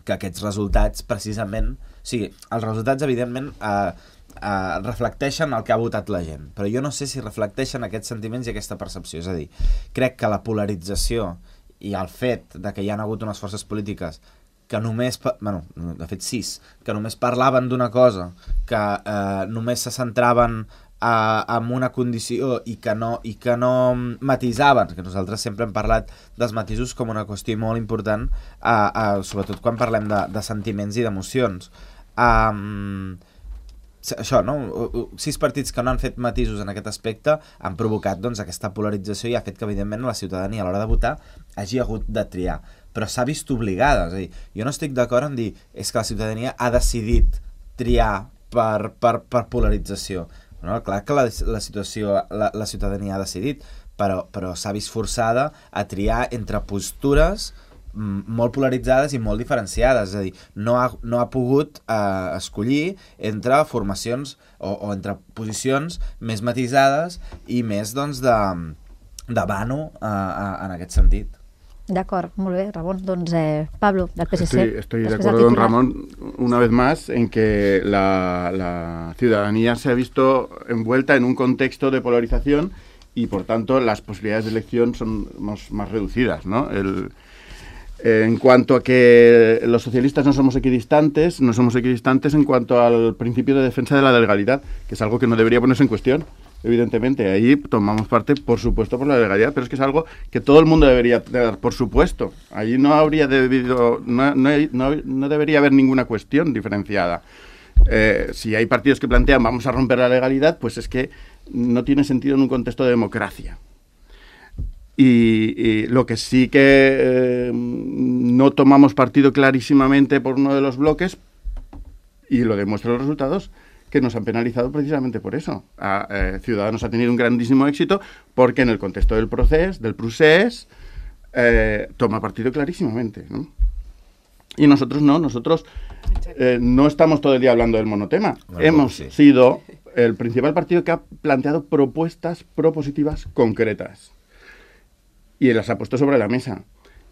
que aquests resultats, precisament... O sigui, els resultats, evidentment, eh, eh, reflecteixen el que ha votat la gent, però jo no sé si reflecteixen aquests sentiments i aquesta percepció. És a dir, crec que la polarització i el fet de que hi ha hagut unes forces polítiques que només, bueno, de fet sis, que només parlaven d'una cosa, que eh, només se centraven eh, en una condició i que, no, i que no matisaven, que nosaltres sempre hem parlat dels matisos com una qüestió molt important, eh, eh, sobretot quan parlem de, de sentiments i d'emocions. Um, això, no? Sis partits que no han fet matisos en aquest aspecte han provocat, doncs, aquesta polarització i ha fet que, evidentment, la ciutadania a l'hora de votar hagi hagut de triar, però s'ha vist obligada. És a dir, jo no estic d'acord en dir és que la ciutadania ha decidit triar per, per, per polarització. No, clar que la, la, situació, la, la ciutadania ha decidit, però, però s'ha vist forçada a triar entre postures molt polaritzades i molt diferenciades, és a dir, no ha, no ha pogut eh, escollir entre formacions o, o entre posicions més matisades i més, doncs, de, de vano eh, en aquest sentit. D'acord, molt bé, Ramon. Doncs eh, Pablo, del P S C. Estoy, estoy de acuerdo con Ramón una vez más en que la, la ciudadanía se ha visto envuelta en un contexto de polarización y, por tanto, las posibilidades de elección son más, más reducidas, ¿no? El, En cuanto a que los socialistas no somos equidistantes, no somos equidistantes en cuanto al principio de defensa de la legalidad, que es algo que no debería ponerse en cuestión, evidentemente. Ahí tomamos parte, por supuesto, por la legalidad, pero es que es algo que todo el mundo debería dar, por supuesto. Ahí no habría debido, no, no, no, no debería haber ninguna cuestión diferenciada. Eh, si hay partidos que plantean vamos a romper la legalidad, pues es que no tiene sentido en un contexto de democracia. Y, y lo que sí que eh, no tomamos partido clarísimamente por uno de los bloques, y lo demuestran los resultados, que nos han penalizado precisamente por eso. A, eh, Ciudadanos ha tenido un grandísimo éxito porque en el contexto del procés, del procés, eh, toma partido clarísimamente, ¿no? Y nosotros no, nosotros eh, no estamos todo el día hablando del monotema. Bueno, Hemos sí. sido el principal partido que ha planteado propuestas propositivas concretas. Y las ha puesto sobre la mesa.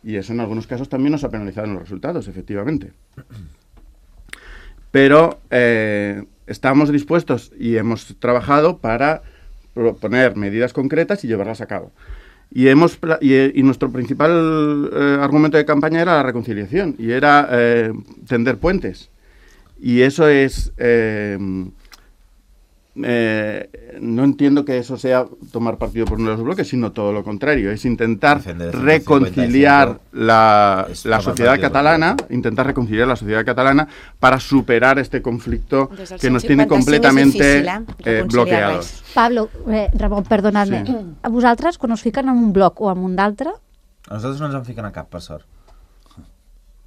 Y eso en algunos casos también nos ha penalizado en los resultados, efectivamente. Pero eh, estamos dispuestos y hemos trabajado para proponer medidas concretas y llevarlas a cabo. Y, hemos, y, y nuestro principal eh, argumento de campaña era la reconciliación y era eh, tender puentes. Y eso es... Eh, Eh, no entiendo que eso sea tomar partido por uno de los bloques, sino todo lo contrario, es intentar reconciliar la, la sociedad catalana, intentar reconciliar la sociedad catalana para superar este conflicto que nos tiene completamente difícil, eh, eh, bloqueados. Pablo, eh, Ramon, perdonad-me, sí. A vosaltres, quan us fiquen en un bloc o en un d'altre? A nosaltres no ens en fiquen a cap, per sort.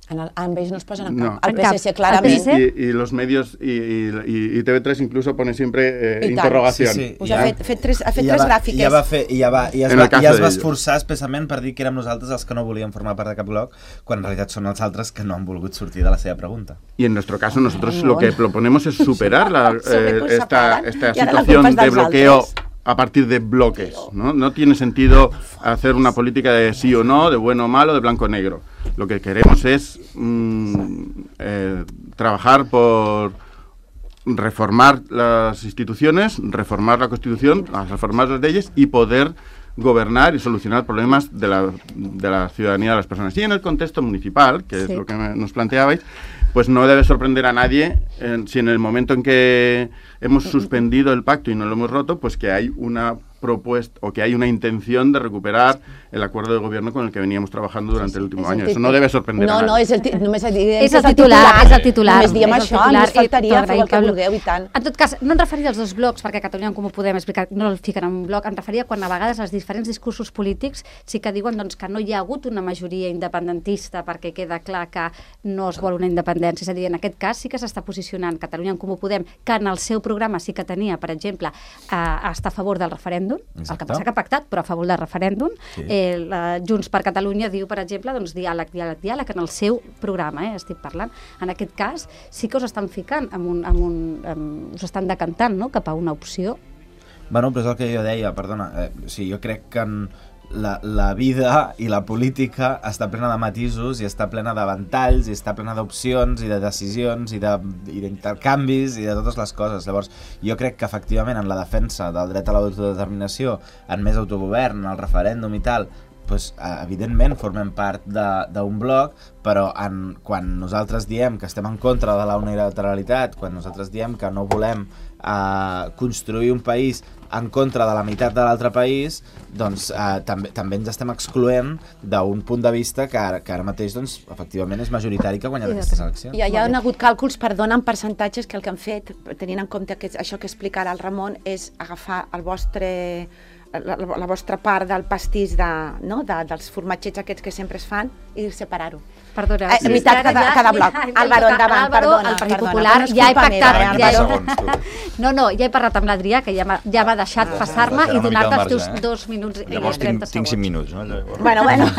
En el, amb ells no es posen a cap. No. El P S C, clarament. Y, y los medios, y, y, y T V tres incluso pone siempre eh, interrogación. Sí, sí. Pues ha fet, fet tres, ha fet tres va, gràfiques. Ja va fer, i ja, va, i ja es, va, ja es va esforçar especialment per dir que érem nosaltres els que no volíem formar part de cap bloc, quan en realitat són els altres que no han volgut sortir de la seva pregunta. Y en nuestro caso nosotros lo que proponemos es superar la, eh, esta, esta situación de bloqueo a partir de bloques, ¿no? No tiene sentido hacer una política de sí o no, de bueno o malo, de blanco o negro. Lo que queremos es mmm, eh, trabajar por reformar las instituciones, reformar la Constitución, reformar las leyes y poder gobernar y solucionar problemas de la, de la ciudadanía de las personas. Y en el contexto municipal, que sí. es lo que nos planteabais, pues no debe sorprender a nadie eh, si en el momento en que hemos suspendido el pacto y no lo hemos roto, pues que hay una propuesta o que hay una intención de recuperar el acuerdo de gobierno con el que veníamos trabajando durante sí, sí. el último año. Eso no debe sorprender no, a nadie. No, és el, només és és el titular, és el titular. Només diem això, només faltaria, feu el que vulgueu i tant. En tot cas, no em referia als dos blocs, perquè Catalunya en Comú Podem explicar, no el fiquen en un bloc, em referia quan a vegades els diferents discursos polítics sí que diuen doncs, que no hi ha hagut una majoria independentista perquè queda clar que no es vol una independència. És a dir, en aquest cas sí que s'està posicionant Catalunya en Comú Podem, que en el seu programa sí que tenia, per exemple, a estar a favor del referèndum, Exacte. El que passa que ha pactat, però a favor del referèndum. Sí. Eh, la, Junts per Catalunya diu, per exemple, doncs, diàleg, diàleg, diàleg en el seu programa, eh, estic parlant. En aquest cas sí que us estan ficant, amb un, amb un, amb, us estan decantant, no?, cap a una opció. Bueno, però és el que jo deia, perdona, eh, o sigui, jo crec que en la, la vida i la política està plena de matisos i està plena de ventalls i està plena d'opcions i de decisions i d'intercanvis i de totes les coses. Llavors, jo crec que efectivament en la defensa del dret a l'autodeterminació, en més autogovern, en el referèndum i tal, pues, evidentment formem part d'un bloc, però en, quan nosaltres diem que estem en contra de la unilateralitat, quan nosaltres diem que no volem eh, construir un país en contra de la meitat de l'altre país, doncs eh, també, també ens estem excloent d'un punt de vista que ara, que ara mateix doncs, efectivament és majoritari que ha guanyat aquestes eleccions. Hi ha, hi ha hagut càlculs, perdona, en percentatges que el que han fet, tenint en compte que això que explica ara el Ramon, és agafar el vostre... La, la vostra part del pastís de, no? de, dels formatgets aquests que sempre es fan i separar-ho. Perdona, a meitat cada, cada bloc. Álvaro, endavant, perdona. El Partit Popular ja he pactat. Ja he... No, no, ja he parlat amb l'Adrià, que ja m'ha ja deixat passar-me i donar-te els teus eh? dos minuts i Llavors trenta tinc, tinc cinc minuts, no? Bueno, bueno.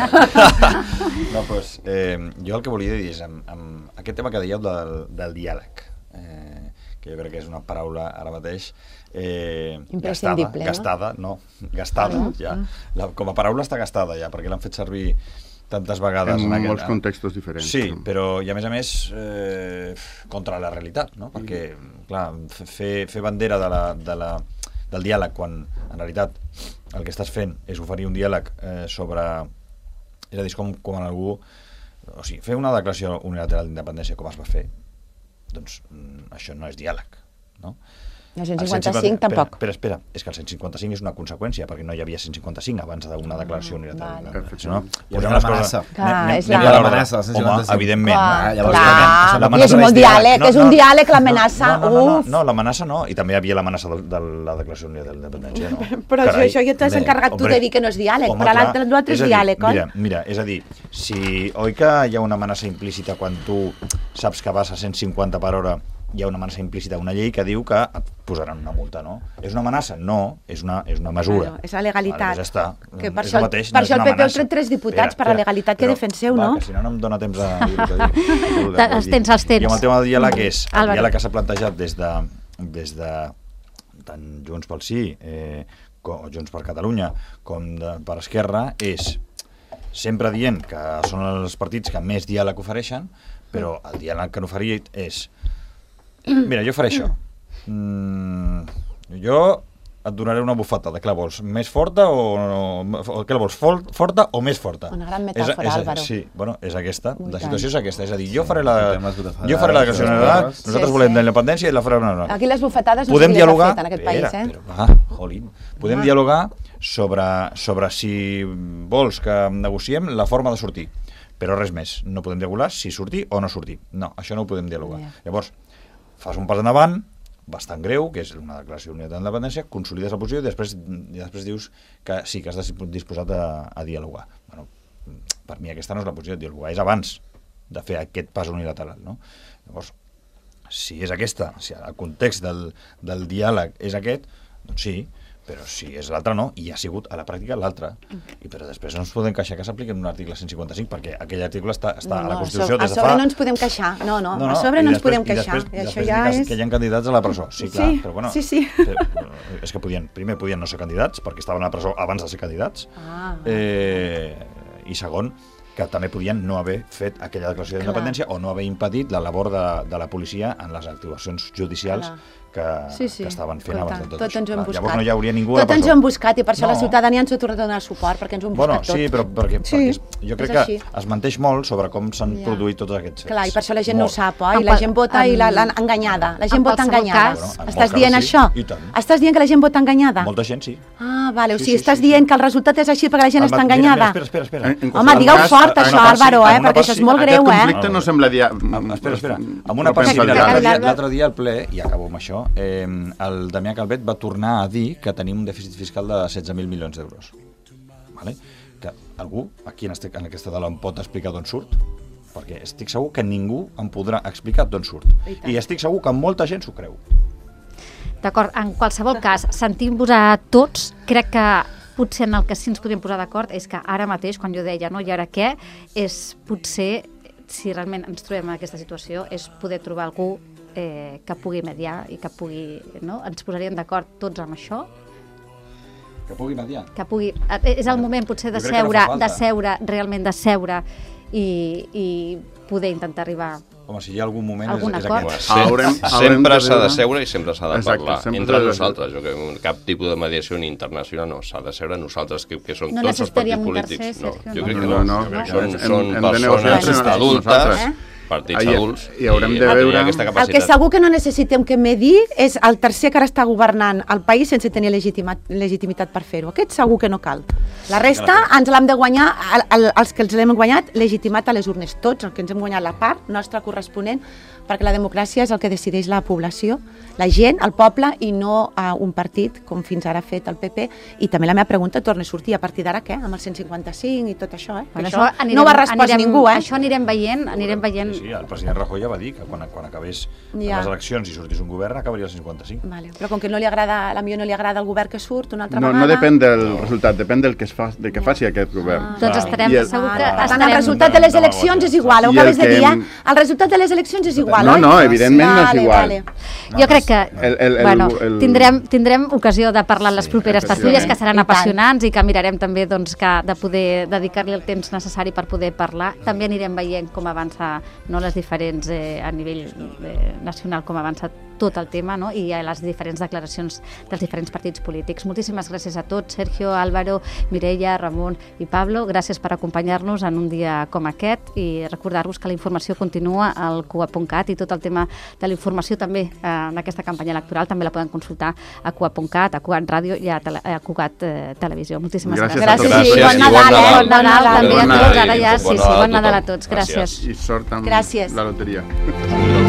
No, pues, eh, jo el que volia dir és amb, amb aquest tema que dèieu del, del diàleg, eh, que jo crec que és una paraula ara mateix Eh, gastada, no? gastada, no, gastada, uh -huh. ja. La, com a paraula està gastada ja, perquè l'han fet servir tantes vegades. En, en aquest, molts contextos diferents. Sí, però i a més a més eh, contra la realitat, no? Perquè, clar, fer, fer bandera de la, de la, del diàleg quan en realitat el que estàs fent és oferir un diàleg eh, sobre... És a dir, com, com en algú... O sigui, fer una declaració unilateral d'independència com es va fer, doncs això no és diàleg, no? El cent cinquanta-cinc tampoc. Espera, espera, és que el cent cinquanta-cinc és una conseqüència, perquè no hi havia cent cinquanta-cinc abans d'una declaració unilateral. Vale. No? Hi ha l'amenaça. És l'amenaça. Home, evidentment. Clar, i és molt diàleg, és un diàleg l'amenaça. No, l'amenaça no, i també hi havia l'amenaça de la declaració unilateral d'independència. Però això ja t'has encarregat tu de dir que no és diàleg, però l'altre és diàleg, oi? Mira, mira, és a dir, si oi que hi ha una amenaça implícita quan tu saps que vas a cent cinquanta per hora, hi ha una amenaça implícita, una llei que diu que et posaran una multa, no? És una amenaça? No, és una, és una mesura. Claro, és la legalitat. Vale, ja està. Que per, això, mateix, per no això el P P ha tret tres diputats per la legalitat que defenseu, no? Va, que si no no em dóna temps a dir-ho. Els tens, els tens. I amb el tema del diàleg és, el diàleg que s'ha plantejat des de, des de tant Junts pel Sí, eh, com Junts per Catalunya, com de, per Esquerra, és sempre dient que són els partits que més diàleg ofereixen, però el diàleg que han oferit és mira, jo faré això. Mm, jo et donaré una bufetada. Què la vols? Més forta o, o què la vols? Forta o més forta? Una gran metàfora, és, és, Álvaro. Sí, bueno, és aquesta. Molt la situació tant. És aquesta. És a dir, jo faré la, jo faré la declaració unilateral, nosaltres sí, volem sí. la independència i la farem una... Aquí les bufetades no podem dialogar, fet en aquest país, eh? Però, va, jolín. Podem ah. dialogar sobre, sobre si vols que negociem la forma de sortir. Però res més. No podem dialogar si sortir o no sortir. No, això no ho podem dialogar. Yeah. Llavors, fas un pas endavant, bastant greu, que és una declaració unilateral d'independència, consolides la posició i després, i després dius que sí, que has disposat a, a dialogar. Bueno, per mi aquesta no és la posició de dialogar, és abans de fer aquest pas unilateral, no? Llavors, si és aquesta, si el context del, del diàleg és aquest, doncs sí, però si és l'altre no, i ha sigut a la pràctica l'altre. I però després no ens podem queixar que s'apliqui en un article cent cinquanta-cinc, perquè aquell article està, està no, no, a la Constitució des de fa... A sobre no ens podem queixar, no, no, no, no a sobre no ens podem queixar. I després, i després ja és... que hi ha candidats a la presó. Sí, clar, sí, però bueno... Sí, sí. És que podien, primer podien no ser candidats, perquè estaven a la presó abans de ser candidats, ah, eh, i segon, que també podien no haver fet aquella declaració d'independència o no haver impedit la labor de, de la policia en les actuacions judicials Clar. que, sí, sí. que estaven fent Escolta, abans de tot tots això. ens ho hem buscat. Llavors no hi hauria ningú Tots a la presó. ens ho hem buscat i per això No. la ciutadania ens ha tornat a donar suport, perquè ens ho hem Bueno, buscat tot. sí, però perquè, Sí, perquè jo crec és així. que es menteix molt sobre com s'han Ja. produït tots aquests fets. Clar, i per això la gent no ho Molt. sap, oi? En La qual- gent vota i en- la- l'han enganyada. La gent en vota qualsevol enganyada. cas- Bueno, en Estàs molts dient casos sí, això? i tant. Estàs dient que la gent vota enganyada? Molta gent sí. Ah, vale, o Sí, sigui, sí, estàs sí, dient sí. que el resultat és així perquè la gent El està ma- mira, enganyada? Mira, espera, espera, espera. En- en Home, qualsevol digueu cas, fort en això, una part sí, Álvaro, en eh? una Perquè part això és sí. molt Aquest greu, eh? conflicte no semblaria... Ah, espera, espera. En una no part sí, pensa mira, el l'altre diari. dia, l'altre dia al ple, i acabo amb això, eh, el Damià Calvet va tornar a dir que tenim un dèficit fiscal de setze mil milions d'euros. Vale? Que algú, aquí en, este, en aquesta taula, em pot explicar d'on surt? Perquè estic segur que ningú em podrà explicar d'on surt. I, I estic segur que molta gent s'ho creu. D'acord, en qualsevol cas, sentint-vos a tots, crec que potser en el que sí ens podríem posar d'acord és que ara mateix, quan jo deia, no, i ara què, és potser, si realment ens trobem en aquesta situació, és poder trobar algú eh, que pugui mediar i que pugui, no? Ens posaríem d'acord tots amb això, Que pugui mediar. que pugui... És el moment potser de Jo crec que no seure, fa falta. de seure, realment de seure i, i poder intentar arribar... Home, si hi ha algun moment Algun és, és acord? aquest. Sem Haurem- sempre haurem de s'ha de veure- seure i sempre s'ha de Exacte, parlar. sempre Entre s'ha de- nosaltres, jo que cap tipus de mediació ni internacional no, s'ha de seure nosaltres, que, que som No tots els partits necessitaríem un polítics. tercer, No, Sergio, jo no? crec que No, no. no, Jo crec que no. Són, Hem- són hem de negociar persones entre adultes, nosaltres. Eh? partits I- adults, i haurem de han tenir veure- aquesta El que capacitat. segur que no necessitem que medir és el tercer que ara està governant el país sense tenir legitima, legitimitat per fer-ho. Aquest segur que no cal. La resta ens l'hem de guanyar, el, el, els que els l'hem guanyat, legitimat a les urnes. Tots, els que ens hem guanyat la part nostra corresponent, perquè la democràcia és el que decideix la població, la gent, el poble, i no uh, un partit, com fins ara ha fet el P P. I també la meva pregunta torna a sortir, a partir d'ara què? Amb el cent cinquanta-cinc i tot això, eh? Bueno, això, anirem, no ho ha respost anirem, ningú, eh? Això anirem veient, anirem veient... Sí, sí, el president Rajoy ja va dir que quan, quan acabés Ja. les eleccions i sortís un govern acabaria el cinquanta-cinc. Vale. Però com que no li agrada, a mi no li agrada el govern que surt una altra No, vegada... no depèn del resultat, depèn del que, es fa, del que faci aquest govern. Doncs Ah. estarem, I el- segur que Per tant, estarem... el resultat de les eleccions és igual, ho I el acabes de que dir, eh? hem- El resultat de les eleccions és igual, No, oi? no, evidentment no és Vale, igual. vale. Jo crec que El- el- el- bueno, el- tindrem, tindrem ocasió de parlar en les Sí, properes efectivament. tertúlies, que seran I tant. apassionants i que mirarem també doncs, que de poder dedicar-li el temps necessari per poder parlar. També anirem veient com avança no, les diferents, eh, a nivell eh, nacional, com avança tot el tema, no? I a les diferents declaracions dels diferents partits polítics. Moltíssimes gràcies a tots, Sergio, Álvaro, Mireia, Ramon i Pablo. Gràcies per acompanyar-nos en un dia com aquest i recordar-vos que la informació continua al cua punt cat i tot el tema de la informació també eh, en aquesta campanya electoral també la poden consultar a cua punt cat, a Cugat Ràdio i a, tele, a Cugat eh, Televisió. Moltíssimes Gràcies gràcies. a tots. Gràcies i Gràcies bon i Nadal, bon eh? Nadal. Bon Nadal també a Bon tots. Nadal Ara ja, i sí, bon sí, Nadal a bon Nadal a tothom. tots. Gràcies. I sort amb Gràcies. la loteria.